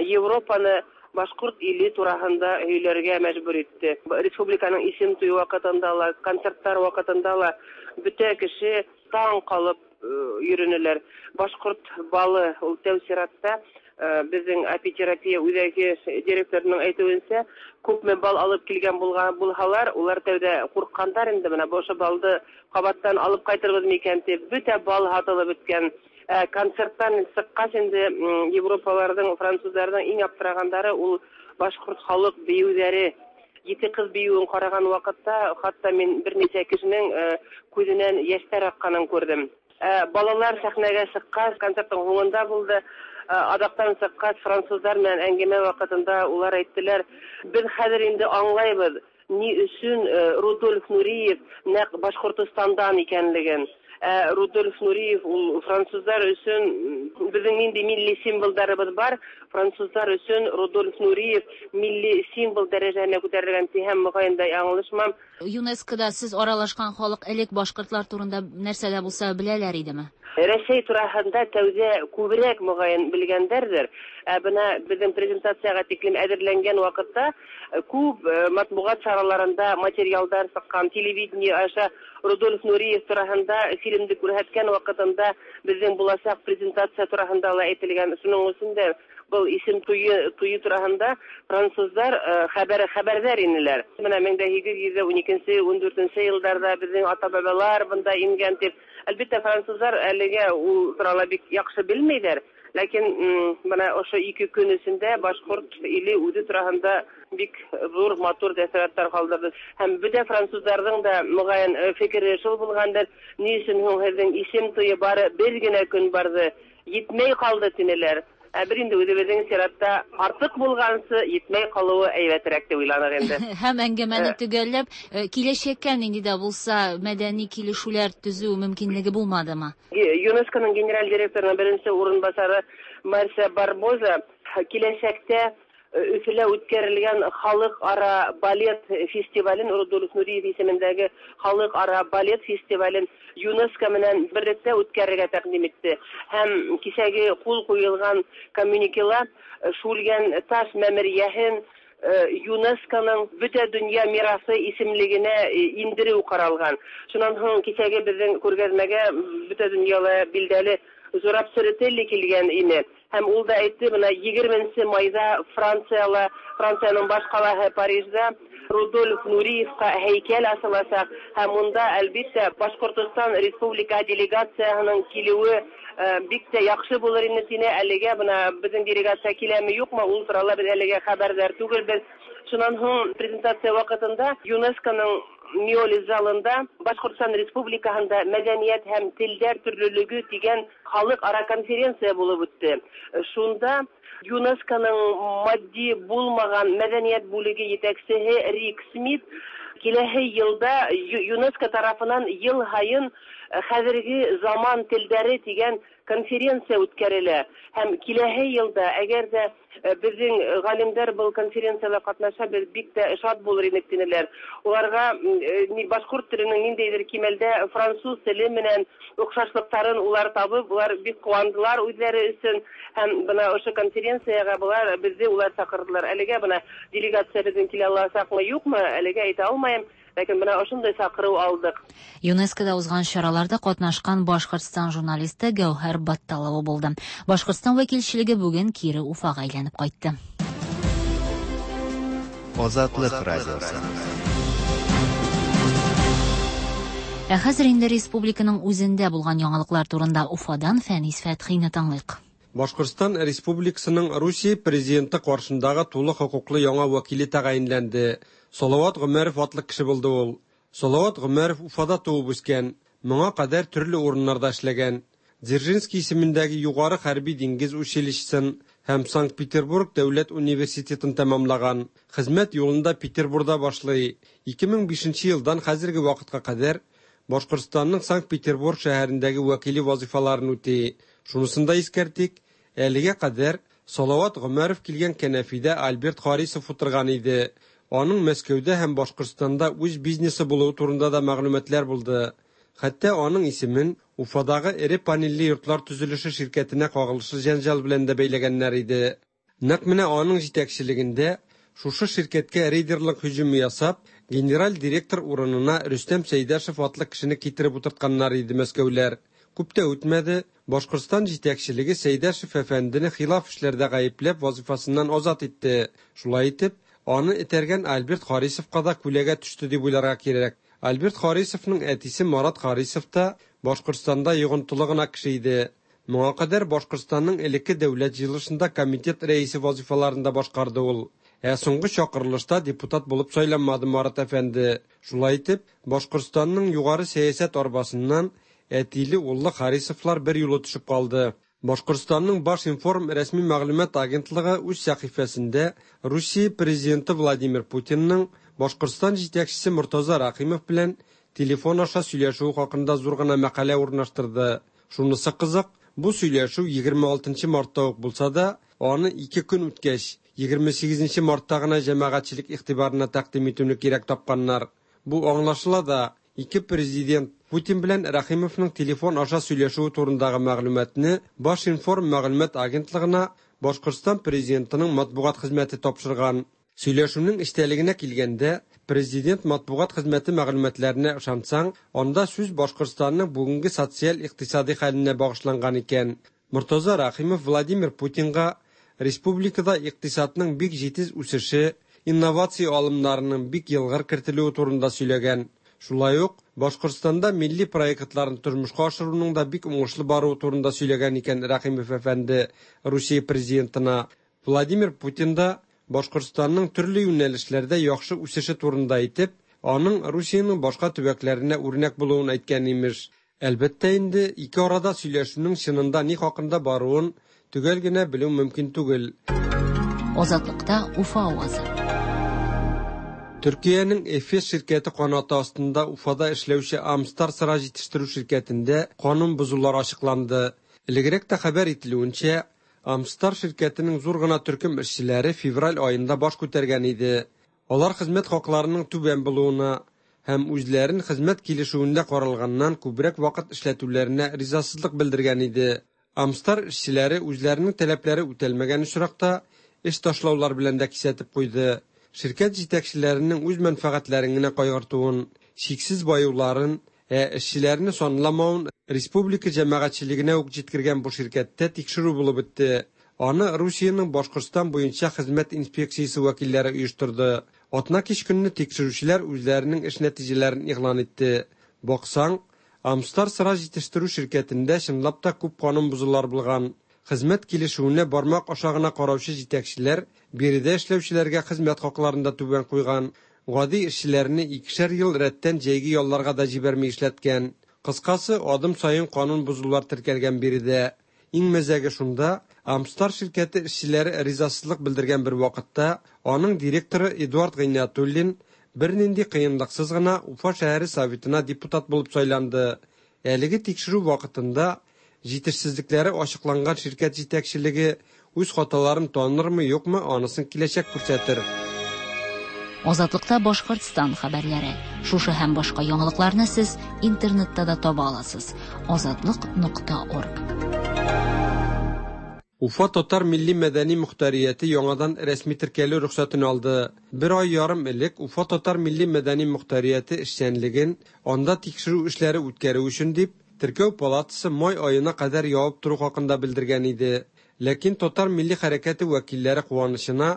Европаны башкорт иле тураһында һөйләргә мәҗбүр итте. Республиканың исем туе вакытында ла, концертлар вакытында ла бөтә кеше таң калып йөренеләр. Башкорт балы ул тәү сиратта безнең апитерапия үзәге директорының әйтүенчә, күпме бал алып килгән булган булһалар, улар тәүдә курккандар инде, менә бу ошо балды кабаттан алып кайтырбыз микән дип, бөтә бал һатылып беткән. Концерттан чыккач инде Европаларның, французларның иң аптырагандары ул башкорт халык биюләре. Ете кыз биюен караган вакытта, хатта мин берничә кешенең күзеннән яшьләр акканын күрдем. Балалар сәхнәгә чыккач, концерттың һуңында булды. Адактан чыккач, французлар белән әңгәмә вакытында улар әйттеләр, без хәзер инде аңлайбыз, ни өчен Рудольф Нуриев нәкъ Башкортостандан икәнлеген. Ә Рудольф Нуриев ул французлар өчен, безнең нинди милли символдарыбыз бар, французлар өчен Рудольф Нуриев милли символ дәрәҗәһенә күтәрелгән һәм мөгаен да яңлышмам. ЮНЕСКОда сез аралашкан халык элек башкортлар турында нәрсә дә булса беләләр идеме? Рәсәй тураһында тәүҙә күберәк мөгаен белгәндәрҙер. Ә бына беҙҙең презентацияға тиклем әҙерләнгән ваҡытта күп матбуғат сараларында материалдар сыҡҡан, телевидение аша Рудольф Нуриев тураһында фильмды күрһәткән ваҡытында беҙҙең буласаҡ презентация тураһында ла әйтелгән. Шуның өсөн дә был исем туйы, туйы тураһында француздар хәбәр хәбәрҙәр инеләр. Бына мең дә һигеҙ йөҙ ун икенсе, ун дүртенсе йылдарҙа беҙҙең ата-бабалар бында ингән тип. Әлбиттә, француздар әлегә ул турала бик яҡшы белмәйҙәр. Ләкин бына ошо ике көн эсендә башҡорт иле үҙе тураһында бик ҙур матур тәьҫораттар ҡалдырҙы. Һәм бөтә француздарҙың да мөғәйен фекере шул булғандыр: ни өсөн һуң һеҙҙең исем туйы бары бер генә көн барҙы, етмәй ҡалды тинеләр. Ә бер инде үҙебеҙҙең сиратта артыҡ булғансы етмәй ҡалыуы әйбәтерәк тип уйланыҡ инде. Һәм әңгәмәне төгәлләп, киләсәккә нинди дә булса мәдәни килешүләр төзү мөмкинлеге булмадымы? ЮНЕСКОның генераль директорының беренсе урынбаҫары Марсия Барбоза киләсәктә Өфөлә үткәрелгән халыҡ-ара балет фестивален, Рудольф Нуриев исемендәге халыҡ-ара балет фестивален ЮНЕСКО менән берлектә үткәрергә тәҡдим итте. Һәм кисәге ҡул ҡуйылған коммюникела Шүлгән таш мәмерйәһен ЮНЕСКОның бөтә донъя мирасы исемлегенә индереү ҡаралған. Шунан һуң кисәге беҙҙең күргәҙмәгә бөтә донъяла билдәле Зураб Церетели килгән ине. Һәм ул да әйтте, бына егерменсе майҙа Францияла, Францияның баш ҡалаһы Парижда Рудольф Нуриевҡа һәйкәл асыласаҡ. Һәм унда әлбиттә Башҡортостан Республика делегацияһының килеүе бик тә яҡшы булыр ине тине. Әлегә бына беҙҙең делегация киләме юҡмы, ул турала беҙ әлегә хәбәрҙар түгелбеҙ. Шунан һуң презентация ваҡытында ЮНЕСКОның Миоли залында Башҡортостан Республикаһында мәҙәниәт һәм телдәр төрлөлөгө тигән халыҡ-ара конференция булып үтте. Шунда ЮНЕСКОның матди булмаған мәҙәниәт бүлеге етәксеһе Рик Смит киләһе йылда ЮНЕСКО тарафынан йыл һайын хәҙерге заман телдәре тигән конференция үткәрелә. Һәм киләһе йылда әгәр ҙә беҙҙең ғалимдар был конференцияла ҡатнаша, беҙ бик тә шат булыр инек тинеләр. Уларға башҡорт теленең ниндәйҙер кимәлдә француз теле менән оҡшашлыҡтарын улар табып, улар бик ҡыуандылар үҙҙәре өсөн. Һәм бына ошо конференцияға былар беҙҙе улар саҡырҙылар. Әлегә бына делегация беҙҙең килә аласаҡмы, юҡмы, әлегә әйтә алмайым. Ләкин бына ошондай саҡырыу алдыҡ. ЮНЕСКОда узған чараларда ҡатнашҡан Башҡортостан журналисты Гәүһәр Батталова булды. Башҡортостан вәкилчелеге бүген кире Уфаға әйләнеп ҡайтты. Азатлыҡ радиосы. Ә хәзер инде республиканың үзендә булған яңалыҡлар турында Уфадан Фәнис Фәтхине тыңлыйк. Башҡортостан Республикасының Русия президенты ҡаршындағы тулы хоҡуҡлы яңа вәкиле тәғәйенләнде. Салават Ғүмәров атлы кеше булды ул. Салават Ғүмәров Уфада тыуып үҫкән, моңа ҡәҙәр төрлө урыннарҙа эшләгән. Дзержинский исемендәге юғары хәрби диңгеҙ училищесын һәм Санкт-Петербург дәүләт университетын тамамлаған. Хеҙмәт юлында Петербурҙа башлай. ике мең бишенсе йылдан хәзерге ваҡытҡа ҡәҙәр Башҡортостандың Санкт-Петербург шәһәрендәге вәкиле вазифаларын үтей. Шунысын да иҫкәртик, әлегә ҡәҙәр Салават Ғүмәров килгән кәнәфиҙә Альберт Харисов ултырған ине. Аның Мәскәүҙә һәм Башҡортостанда үҙ бизнесы булыуы турында да мәғлүмәтләр булды. Хәтта аның исемен Уфадағы эре панелле йортлар төзөлөшө ширкәтенә ҡағылышлы йәнжал белән дә бәйләгәннәр ине. Нәҡ менә аның етәкселегендә шушы ширкәткә рейдерлыҡ һөжүме ясап, генераль директор урынына Рөстәм Сәйҙәшев атлы кешене китереп ултыртҡаннар ине мәскәүләр. Күп тә үтмәде, Башҡортостан етәкселеге Сәйҙәшев әфәндене хилаф эшләрҙә ғәйепләп вазифасынан азат итте. Шулай итеп, аны этәргән Альберт Харисовҡа да күләгә төштө тип уйларға кәрәк. Альберт Харисовның әтисе Марат Харисов та Башҡортостанда йоғонтоло ғына кеше ине. Моңа ҡәҙәр Башҡортостандың элекке дәүләт йыйылышында комитет рәйесе вазифаларын да башҡарҙы ул. Ә һуңғы саҡырылышта депутат булып сайланмады Марат әфәнде. Шулай итеп, Башҡортостандың юғары сәйәсәт арбасынан әтиле уллы Харисовлар бер юлы төшөп ҡалды. Башҡортостандың Башинформ рәсми мәғлүмәт агентлығы үҙ сәхифәсендә Русия президенты Владимир Путинның Башҡортостан етәксеһе Мортаза Рәхимов белән телефон аша сөйләшүе хакында зур гына мәкалә урнаштырды. Шунысы кызык, бу сөйләшү егерме алтынчы мартта ук булса да, аны ике көн үткәч, егерме сигезенче мартта гына җәмәгатьчелек игътибарына тәкъдим итүне кирәк тапканнар. Бу аңлашыла да, ике президент Путин белән Рәхимовның телефон аша сөйләшүе турындагы мәгълүматны Башинформ мәгълүмат агентлыгына Башкортстан президентының матбугат хезмәте тапшырган. Сөйләшүнең эчтәлегенә килгәндә, президент матбугат хезмәте мәгълүматларына ышансаң, анда сүз Башкортстанның бүгенге социаль-икътисади хәленә багышланган икән. Мортаза Рәхимов Владимир Путинга республикада икътисадның бик җитез үсеше, инновация алымнарының бик елгыр кертелүе турында сөйләгән. Шулай ук Башкортстанда милли проектларын тормышка ашыруның да бик уңышлы баруы турында сөйләгән икән Рәхимов әфәнде Русия президентына. Владимир Путин да Башкортстанның төрле юнәлешләрдә яхшы үсеше турында әйтеп, аның Русиянең башка төбәкләренә үрнәк булуын әйткән имеш. Әлбәттә инде, ике арада сөйләшүнең чынында ни хакында баруын төгәл генә белү мөмкин түгел. Азатлыкта Уфа авазы. Төркиянең Эфес ширкәте канаты астында Уфада эшләүче Амстар сыра җитештерү ширкәтендә канун бозулар ачыкланды. Элегрәк тә хәбәр ителүенчә, Амстар ширкәтенең зур гына төркем эшчеләре февраль аенда баш күтәргән иде. Алар хезмәт хакларының түбән булуына һәм үзләрен хезмәт килешүендә каралганнан күбрәк вакыт эшләтүләренә ризасызлык белдергән иде. Амстар эшчеләре үзләренең таләпләре үтәлмәгән очракта эш ташлаулар белән дә кисәтеп куйды. Ширкәт җитәкчеләренең үз мәнфәгатьләрен генә кайгыртуын, чиксез баюларын, ә эшчеләрне санламавын республика җәмәгатьчелегенә үк җиткергән бу ширкәттә тикшерү булып үтте. Аны Русиянең Башкортстан буенча хезмәт инспекциясе вәкилләре оештырды. Атна кич көнне тикшерүчеләр үзләренең эш нәтиҗәләрен игълан итте. Баксаң, Амстар сыра җитештерү ширкәтендә чынлап та күп канун бозулар булган. Хезмәт килешүенә бармак аша гына караучы җитәкчеләр биредә эшләүчеләргә хезмәт хакларын да түбән куйган. Гади эшчеләрне икешәр ел рәттән җәйге ялларга да җибәрми эшләткән. Кыскасы, адым саен канун бозулар теркәлгән биредә. Иң мәзәге шунда, Амстар ширкәте эшчеләре ризасызлык белдергән бер вакытта аның директоры Эдуард Гыйниятуллин бернинди кыенлыксыз гына Уфа шәһәре советына депутат булып сайланды. Әлеге тикшерү вакытында җитешсезлекләре ачыкланган ширкәт җитәкчелеге үз хаталарын танырмы, юкмы, анысын киләчәк күрсәтер. Азатлыкта Башкортстан хәбәрләре. Шушы һәм башка яңалыкларны сез интернетта да таба аласыз. Азатлык нокта орг. Уфа татар милли мәдәни мөхтәрияте яңадан рәсми теркәлү рөхсәтен алды. Бер ай ярым элек Уфа татар милли мәдәни мөхтәрияте эшчәнлеген анда тикшерү эшләре үткәрү өчен дип Теркәү палатасы май аена кадәр ябып тору хакында белдергән иде. Ләкин татар милли хәрәкәте вәкилләре куанычына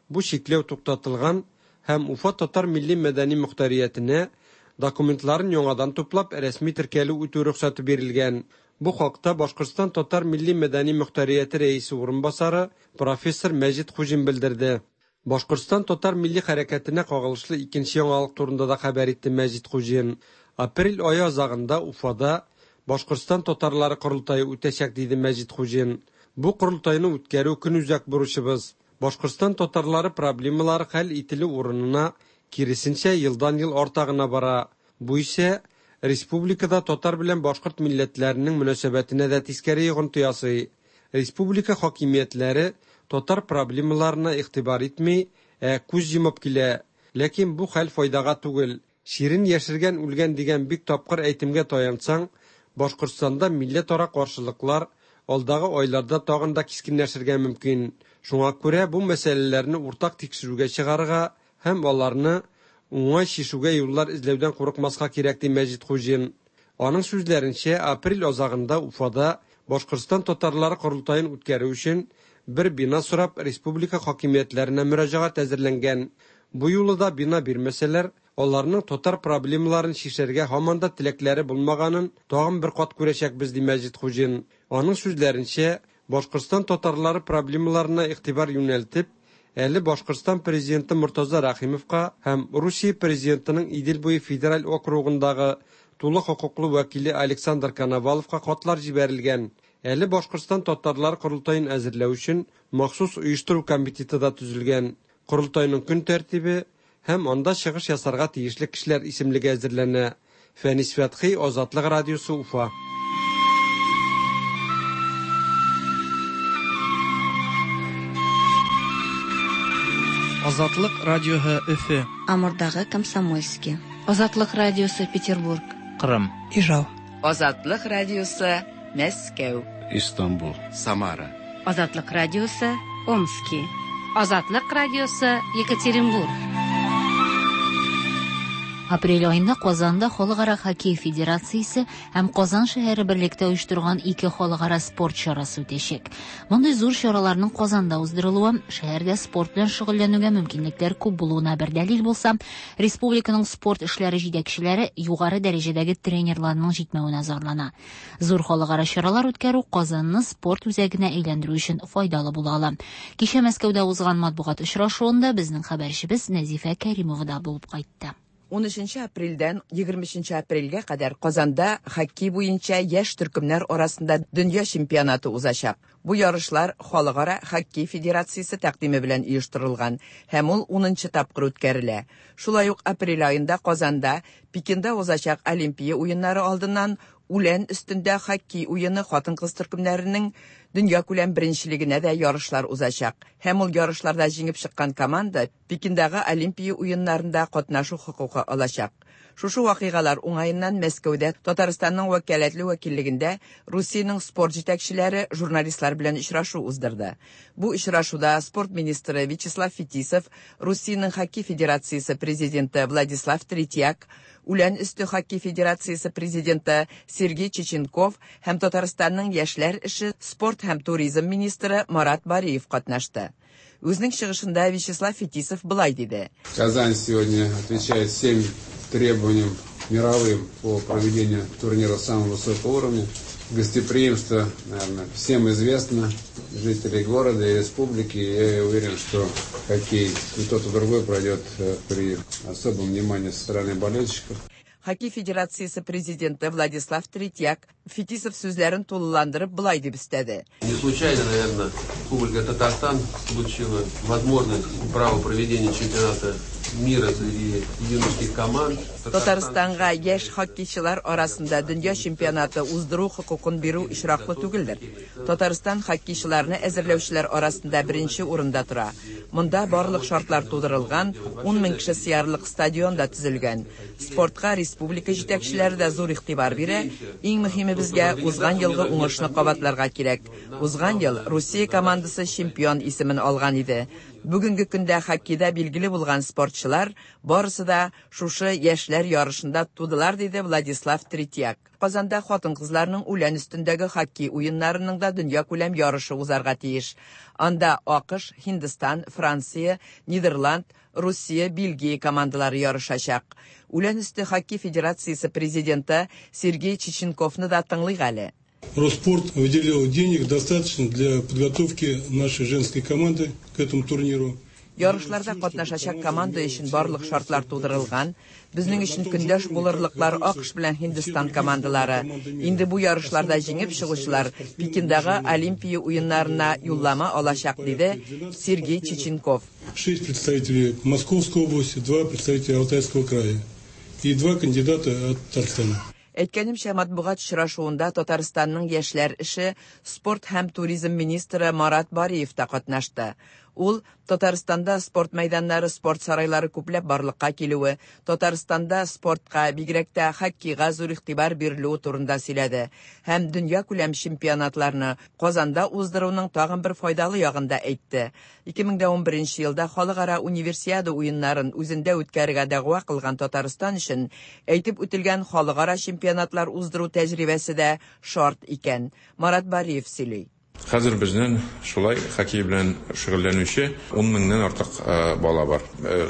бу чикләү туктатылган һәм Уфа татар милли мәдәни мөхтәриятенә документларын яңадан туплап рәсми теркәлү үтү рөхсәте бирелгән. Бу хакта Башкортстан татар милли мәдәни мөхтәрияте рәисе урынбасары профессор Мәҗит Хуҗин белдерде. Башкортстан татар милли хәрәкәтенә кагылышлы икенче яңалык турында да хәбәр итте Мәҗит Хуҗин. Апрель ае азагында Уфада Башкортстан татарлары корылтае үтәчәк, диде Мәҗит Хуҗин. Бу корылтайны үткәрү көнүзәк бурычыбыз. Башкортстан татарлары проблемалары хәл ителү урынына киресенчә елдан-ел арта гына бара. Бу исә республикада татар белән башкорт милләтләренең мөнәсәбәтенә дә тискәре йогынты ясый. Республика хакимиятләре татар проблемаларына игътибар итми, ә күз йомып килә. Ләкин бу хәл файдага түгел. Ширин яшергән үлгән дигән бик тапкыр әйтемгә таянсаң, Башкортстанда милләтара каршылыклар алдагы айларда тагын да кискенләшергә мөмкин. Шуңа күрә бу мәсьәләләрне уртак тикшерүгә чыгарырга һәм аларны уңай чишүгә юллар эзләүдән курыкмаска кирәк, ди Мәҗит Хуҗин. Аның сүзләренчә, апрель азагында Уфада Башкортстан татарлары корылтаен үткәрү өчен бер бина сорап республика хакимиятләренә мөрәҗәгать әзерләнгән. Бу юлы да бина бирмәсәләр, аларның татар проблемаларын чишәргә һаман да теләкләре булмаганын тагын бер кат күрәчәкбез, ди Мәҗит Хуҗин. Аның сүзләренчә, Башкортстан татарлары проблемаларына игътибар юнәлтеп, әле Башкортстан президенты Мортаза Рәхимовка һәм Русия президентының Идел буе федераль округындагы тулы хокуклы вәкиле Александр Коноваловка хатлар җибәрелгән. Әле Башкортстан татарлары корылтаен әзерләү өчен махсус оештыру комитеты да төзелгән. Корылтайның көн тәртибе һәм анда чыгыш ясарга тиешле кешеләр исемлеге әзерләнә. Фәнис Фәтхи, Азатлык радиосы, Уфа. Азатлык радиоһы Өфө. Амурдагы Комсомольский. Азатлык радиосы Петербург. Кырым. Ижау. Азатлык радиосы Мәскәү. Истанбул. Самара. Азатлык радиосы Омски. Азатлык радиосы Екатеринбург. Апрель аенда Казанда Халыкара хоккей федерациясе һәм Казан шәһәре берлектә оештырган ике халыкара спорт чарасы үтәчәк. Мондый зур чараларның Казанда уздырылуы шәһәрдә спорт белән шөгыльләнүгә мөмкинлекләр күп булуына бер дәлил булса, республиканың спорт эшләре җитәкчеләре югары дәрәҗәдәге тренерларның җитмәвенә зарлана. Зур халыкара чаралар үткәрү Казанны спорт үзәгенә әйләндерү өчен файдалы була ала. Кичә Мәскәүдә узган матбугат очрашуында безнең хәбәрчебез Нәзифә Кәримова да булып кайтты. ун өченче апрельдән егерме өченче апрельгә кадәр Казанда хоккей буенча яшь төркемнәр арасында дөнья чемпионаты узачак. Бу ярышлар Халыкара хоккей федерациясе тәкъдиме белән оештырылган һәм ул унынчы тапкыр үткәрелә. Шулай ук апрель аенда Казанда Пекинда узачак Олимпия уеннары алдыннан үлән өстендә хоккей уены хатын-кыз төркемнәренең дөнья күләм беренчелегенә дә ярышлар узачак. Һәм ул ярышларда җиңеп чыккан команда Пекиндагы Олимпия уеннарында катнашу хокукы алачак. Шушы вакыйгалар уңаеннан Мәскәүдә Татарстанның вәкаләтле вәкиллегендә Русиянең спорт җитәкчеләре журналистлар белән очрашу уздырды. Бу очрашуда спорт министры Вячеслав Фетисов, Русиянең хоккей федерациясе президенты Владислав Третьяк, Үлән өсте хоккей федерациясе президенты Сергей Чеченков һәм Татарстанның яшьләр эше, спорт һәм туризм министры Марат Бариев катнашты. Үзенең чыгышында Вячеслав Фетисов былай диде. Казань сегодня отвечает всем требованиям мировым по проведению турнира самого высокого уровня. Гостеприимство, наверное, всем известно, жителей города и республики. Я уверен, что хоккей и тот, и другой пройдет при особом внимании со стороны болельщиков. Хоккей федерациясе президенты Владислав Третьяк Фетисов сүзләрен тулыландырып былай дип өстәде. Не случайно, наверное, Республика Татарстан получила возможность право проведения чемпионата мира среди юношеских команд. Татарстанга яшь хоккейчылар арасында дөнья чемпионаты уздыру хокукын бирү очраклы түгелдер. Татарстан хоккейчыларны әзерләүчеләр арасында беренче урында тора. Монда барлык шартлар тудырылган, ун мең кеше сыярлык стадион да төзелгән. Спортка республика җитәкчеләре дә зур игътибар бирә. Иң мөһиме безгә узган елгы уңышны кабатларга кирәк. Узган ел Русия командасы чемпион исемен алган иде. Бүгенге көндә хоккейда билгеле булган спортчылар барысы да шушы яшьләр ярышында тудылар, диде Владислав Третьяк. Казанда хатын-кызларның үлән өстендәге хоккей уеннарының да дөнья күләм ярышы узарга тиеш. Анда АКШ, Һиндстан, Франция, Нидерланд, Русия, Бельгия командалары ярышачак. Үлән өсте хоккей федерациясе президенты Сергей Чеченковны да тыңлыйк әле. Росспорт выделил денег достаточно для подготовки нашей женской команды к этому турниру. Ярышларда катнашачак команда өчен барлык шартлар тудырылган. Безнең өчен көндәш булырлыклар АКШ белән Һиндстан командалары. Инде бу ярышларда җиңеп чыгучылар Пекиндагы Олимпия уеннарына юллама алачак, диде Сергей Чеченков. Шесть представителей Московской области, два представителя Алтайского края и два кандидата от Татарстана. Әйткәнемчә, матбугат очрашуында Татарстанның яшьләр эше, спорт һәм туризм министры Марат Бариев та катнашты. Ул Татарстанда спорт мәйданнары, спорт сарайлары күпләп барлыкка килүе, Татарстанда спортка, бигрәк тә хоккейга зур игътибар бирелүе турында сөйләде һәм дөнья күләм чемпионатларны Казанда уздыруның тагын бер файдалы ягын да әйтте. ике мең дә унберенче елда халыкара универсиада уеннарын үзендә үткәрергә дәгъва кылган Татарстан өчен әйтеп үтелгән халыкара чемпионатлар уздыру тәҗрибәсе дә шарт икән. Марат Бариев сөйли. Хәзер безнең шулай хоккей белән шөгыльләнүче ун меңнән артык бала бар.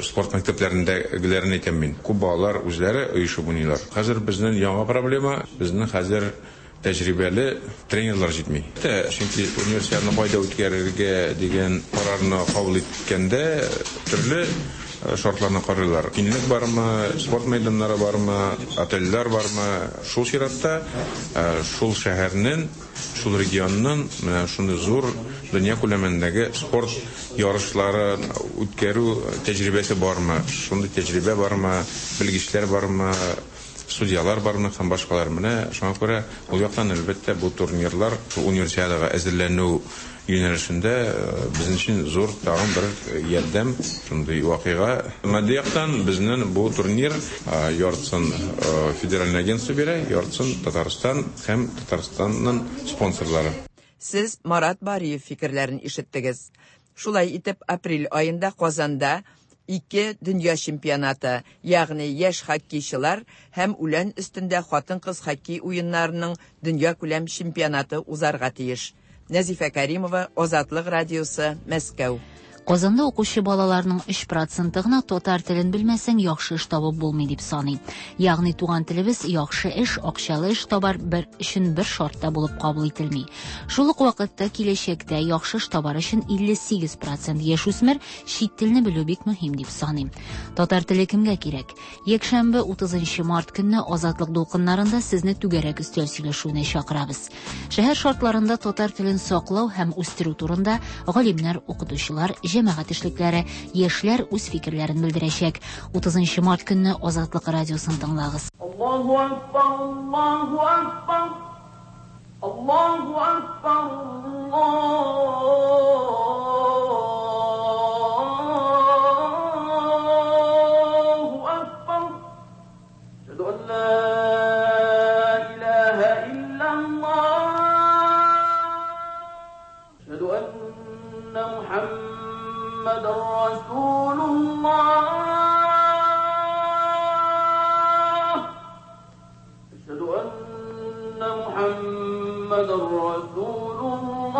Спорт мәктәпләрендәгеләрен әйтәм мин. Күп балалар үзләре оешып уйныйлар. Хәзер безнең яңа проблема, безнең хәзер тәҗрибәле тренерлар җитми. Чөнки универсиаданы кайда үткәрергә дигән карарны кабул иткәндә төрле шартларны карыйлар. Киңлек бармы, спорт мәйданнары бармы, отельләр бармы? Шул чиратта, шул шәһәрнең, шул регионның менә шундый зур дөнья күләмендәге спорт ярышларын үткәрү тәҗрибәсе бармы? Шундый тәҗрибә бармы? Белгечләр бармы? Судьялар бармы һәм башкалар. Менә шуңа күрә ул яктан әлбәттә бу турнирлар универсиадага әзерләнү юнәлешендә безнең өчен зур тагын бер ярдәм, шундый вакыйга. Матди яктан безнең бу турнир яртысын федеральный агентство бирә, яртысын Татарстан һәм Татарстанның спонсорлары. Сез Марат Бариев фикерләрен ишеттегез. Шулай итеп, апрель аенда Казанда ике дөнья чемпионаты, ягъни яшь хоккейчылар һәм үлән өстендә хатын-кыз хоккей уеннарының дөнья күләм чемпионаты узарга тиеш. Нәзифә Каримова, Азатлык радиосы, Мәскәү. Казанда укучы балаларның өч проценты гына татар телен белмәсәң яхшы эш табып булмый дип саный. Ягъни туган телебез яхшы эш, акчалы эш табар бер өчен бер шартта булып кабул ителми. Шул ук вакытта киләчәктә яхшы эш табар өчен илле сигез процент яшүсмер чит телне белү бик мөһим дип саный. Татар теле кемгә кирәк? Якшәмбе утызынчы март көнне Азатлык дулкыннарында сезне түгәрәк өстәл сөйләшүенә чакырабыз. Шәһәр шартларында татар телен саклау һәм үстерү турында галимнәр, укытучылар, җәмәгать эшлекләре, яшьләр үз фикерләрен белдерәчәк. утызынчы март көнне Азатлык радиосын тыңлагыз. Аллаһу акбар, Аллаһу акбар, Аллаһу акбар, Аллаһу акбар. Әшһәду ан ла илаһа иллаллаһ. Әшһәду анна Мухаммад رسول الله. أشهد أن محمد رسول الله.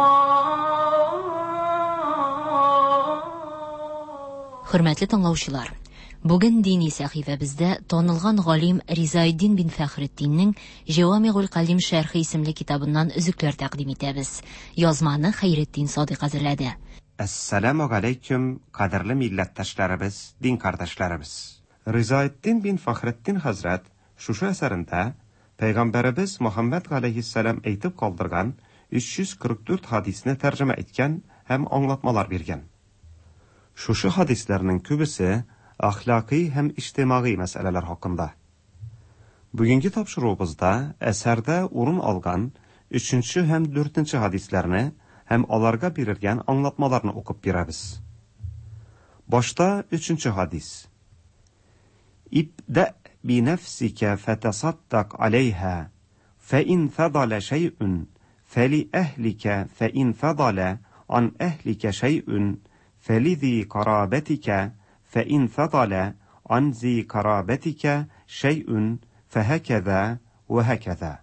Хөрмәтле тыңлаучылар, бүген дини сәхифәбездә танылган галим Ризаэддин бин Фәхретдиннең Җавамигул Калим шәрхе исемле китабыннан өзекләр тәкъдим итәбез. Язманы Хәйретдин Садыйк әзерләде. Әссәламу алейкум, кадерле милләттәшләребез, дин кардәшләребез. Ризаэддин бин Фәхретдин хәзрәт шушы әсәрендә Пәйгамбәребез Мөхәммәд галәйһиссәлам әйтеп калдырган өч йөз кырык дүрт хадисне тәрҗемә иткән һәм аңлатмалар биргән. Шушы хадисләрнең күбесе әхлакый һәм иҗтимагый мәсьәләләр хакында. Бүгенге тапшыруыбызда әсәрдә урын алган өченче һәм дүртенче хадисләрне һәм аларга бирелгән аңлатмаларны укып бирәбез. Башта өченче хадис. Ибда би нәфсикә фатасаддак алейха, фа ин фадала шәйъун фали әһликә, фа ин фадала ан әһликә шәйъун фализи карабатика, фа ин фадала ан зи карабатика шәйъун фахаказа ва хаказа.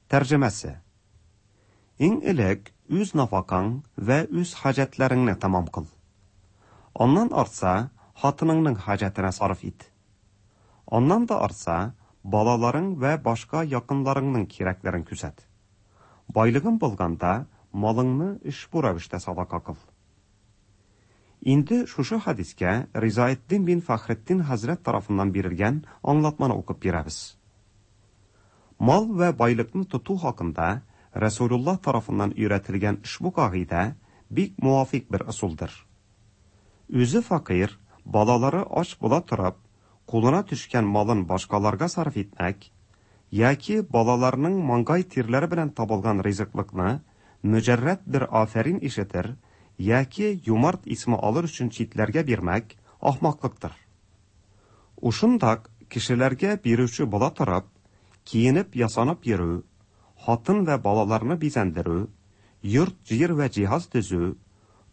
Тәрҗемәсе: Иң элек үз нафакаң вә үз хаҗәтләреңне тамам кыл. Аннан артса, хатыныңның хаҗәтенә сарыф ит. Аннан да артса, балаларың вә башка якынларыңның кирәкләрен күзәт. Байлыгың булганда, малыңны ошбу рәвештә садака кыл. Инде шушы хадискә Ризаэддин бин Фәхретдин хәзрәт тарафыннан бирелгән аңлатманы укып бирәбез. Мал вә байлыкны тоту хакында Расулуллаһ тарафыннан өйрәтелгән ошбу кагыйдә бик муафик бер ысулдыр. Үзе факир, балалары ач була торып, кулына төшкән малын башкаларга сарыф итмәк яки балаларының маңгай тирләре белән табылган ризыклыкны мөҗәррәт бер афәрин ишетер яки юмарт исме алыр өчен читләргә бирмәк ахмаклыктыр. Ушындак кешеләргә бирүче була торып, киенеп ясанып йөрү, хатын вә балаларны бизәндерү, йорт, җир вә җиһаз төзү,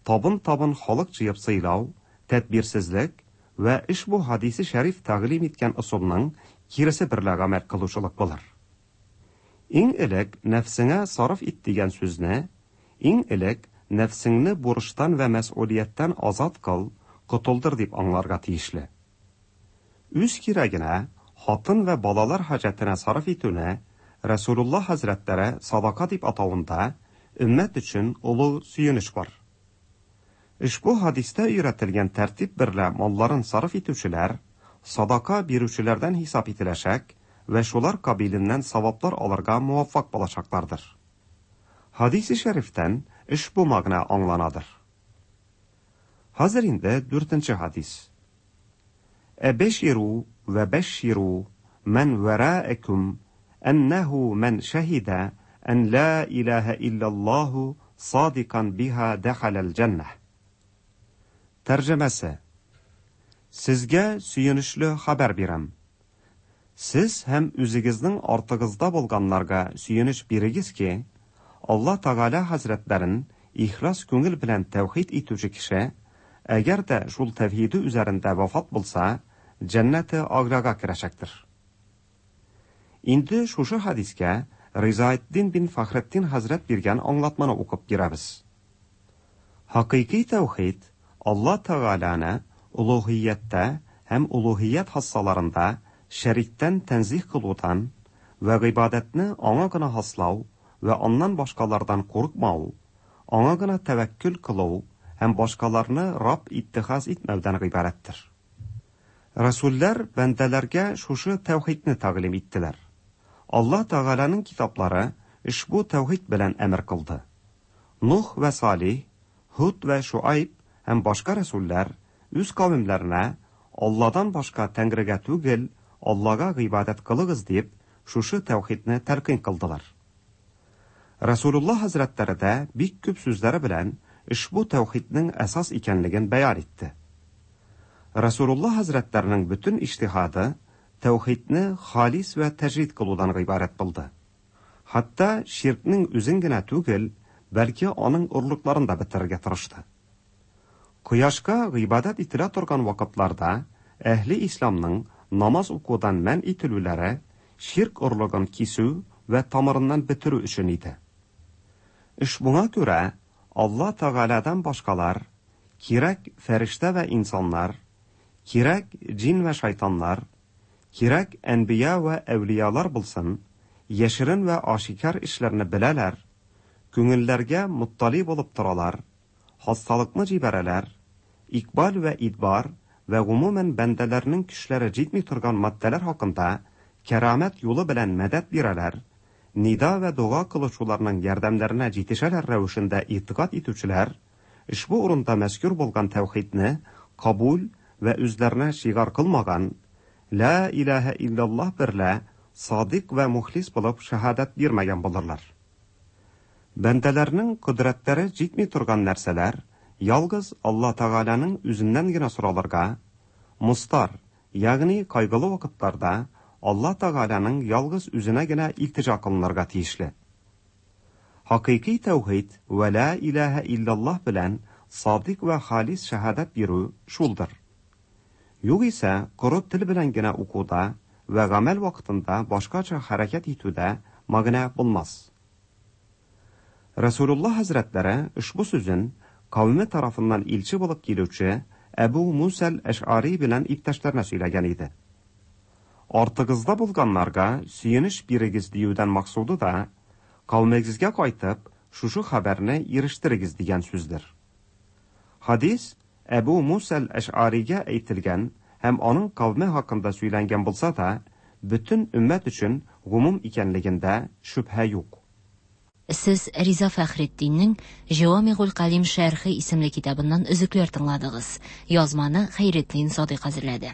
табын-табын халык җыеп сыйлау, тәдбирсезлек вә ошбу хадисе шәриф тәгълим иткән ысулның киресе берлә гамәл кылучылык булыр. Иң элек нәфсеңә сарыф ит дигән сүзне, иң элек нәфсеңне бурыштан вә мәсъулияттән азат кыл, котылдыр дип аңларга тиешле. Үз кирәгенә, хатын вә балалар хаҗәтенә сарыф итүне Расулуллаһ хәзрәтләре садака дип атавында өммәт өчен олы сөенеч бар. Ошбу хадистә өйрәтелгән тәртип берлә малларын сарыф итүчеләр садака бирүчеләрдән хисап ителәчәк вә шулар кабиленнән саваплар алырга муаффак булачаклардыр. Хадисе шәрифтән ошбу мәгънә аңланадыр. Хәзер инде дүртенче хадис. Әбширу вә бәшширу мән вәраәкүм әннәһу мән шәһидә ән ла илаһә иллаллаһу садикан биһа дәхәләл җәннәһ. Тәрҗемәсе: Сезгә сөенечле хәбәр бирәм. Сез һәм үзегезнең артыгызда булганнарга сөенеч бирегез ки, Алла Тәгалә хәзрәтләрен ихлас күңел белән тәүхид итүче кеше, әгәр дә шул тәүхиде үзәрендә вафат булса, җәннәте аграга керәчәктер. Инде шушы хәдискә Ризаэддин бин Фәхретдин хәзрәт биргән аңлатманы укып бирәбез. Хакыйкый тәүхид Алла Тәгаләне улуһияттә һәм улуһият хассаларында шәриктән тәнзиһ кылудан вә гыйбадәтне аңа гына хаслау вә аннан башкалардан курыкмау, аңа гына тәвәккүл кылу һәм башкаларны Раб иттихаз итмәүдән гыйбарәттер. Расуллар бәндәләргә шушы тәүхидне тәгълим иттеләр. Алла Тәгаләнең китаплары ошбу тәүхид белән әмер кылды. Нух вә Салих, Һуд вә Шуайб һәм башка расуллар үз кавемләренә Алладан башка тәңрегә түгел, Аллага гыйбадәт кылыгыз дип, шушы тәүхидне тәлкин кылдылар. Расулуллаһ хәзрәтләре дә бик күп сүзләре белән ошбу тәүхиднең әсас икәнлеген бәян итте. Расулуллаһ хәзрәтләренең бөтен иҗтиһады тәүхидне халис вә тәҗрид кылудан гыйбарәт булды. Хәтта ширкнең үзен генә түгел, бәлки аның орлыкларын да бетерергә тырышты. Кояшка гыйбадәт ителә торган вакытларда әһле исламның намаз укудан мән ителүләре ширк орлыгын кисү вә тамырыннан бетерү өчен иде. Ошбуңа күрә Алла Тәгаләдән башкалар, кирәк фәрештә вә инсаннар, кирәк җин вә шайтаннар, кирәк әнбия вә әүлиялар булсын, яшерен вә ашикар эшләрне беләләр, күңелләргә муттали булып торалар, хасталыкны җибәрәләр, икбал вә идбар вә гомумән бәндәләрнең көчләре җитми торган матдәләр хакында кәрамәт юлы белән мәдәт бирәләр, нида вә дога кылучыларның ярдәмнәренә җитешәләр рәвешендә итигад итүчеләр, ошбу урында мәзкүр булган тәүхидне кабул вә үзләренә шигар кылмаган, ла илаһә иллаллаһ берлә садык вә мухлис булып шаһадәт бирмәгән булырлар. Бәндәләрнең кодрәтләре җитми торган нәрсәләр ялгыз Алла Тәгаләнең үзеннән генә соралырга, мустар, ягъни кайгылы вакытларда Алла Тәгаләнең ялгыз үзенә генә илтиҗа кылынырга тиешле. Хакыйкый тәүхид вә ла илаһә иллаллаһ белән садык вә халис шаһадәт бирү шулдыр. Югыйсә, коры тел белән генә укуда вә гамәл вакытында башкача хәрәкәт итүдә мәгънә булмас. Расулуллаһ хәзрәтләре ошбу сүзен кавеме тарафыннан илче булып килүче Әбу Мусал Әш'ари белән иптәшләренә сөйләгән иде. Артыгызда булганнарга сөенеч бирегез диюдән максуды да, кавемегезгә кайтып, шушы хәбәрне ирештерегез дигән сүздер. Хадис Әбу Мусал Әш'аригә әйтелгән һәм аның кавеме хакында сөйләнгән булса да, бөтен өммәт өчен гомум икәнлегендә шөбһә юк. Сез Риза Фәхретдиннең Җавамигул Калим шәрхе исемле китабыннан өзекләр тыңладыгыз. Язманы Хәйретдин Садыйк әзерләде.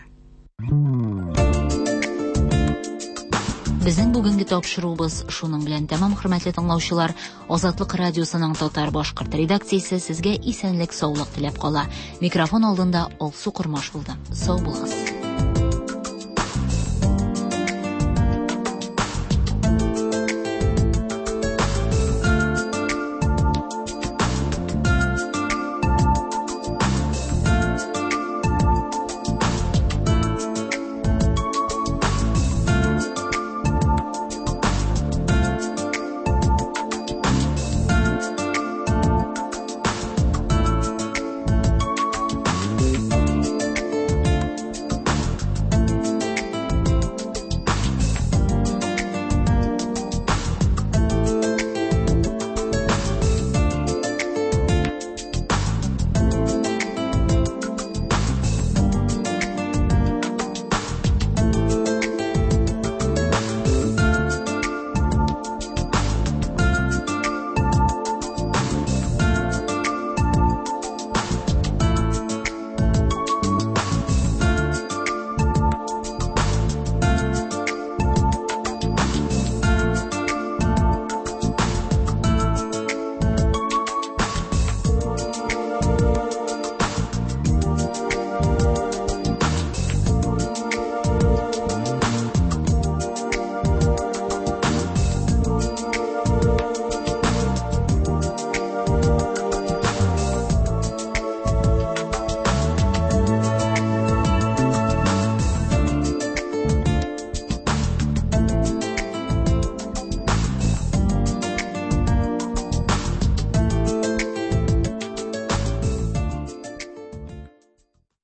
Безнең бүгенге тапшыруыбыз шуның белән тәмам, хөрмәтле тыңлаучылар. Азатлык радиосының татар башкорт редакциясе сезгә исәнлек, саулык теләп кала. Микрофон алдында Алсу Кормаш булды. Сау булыгыз.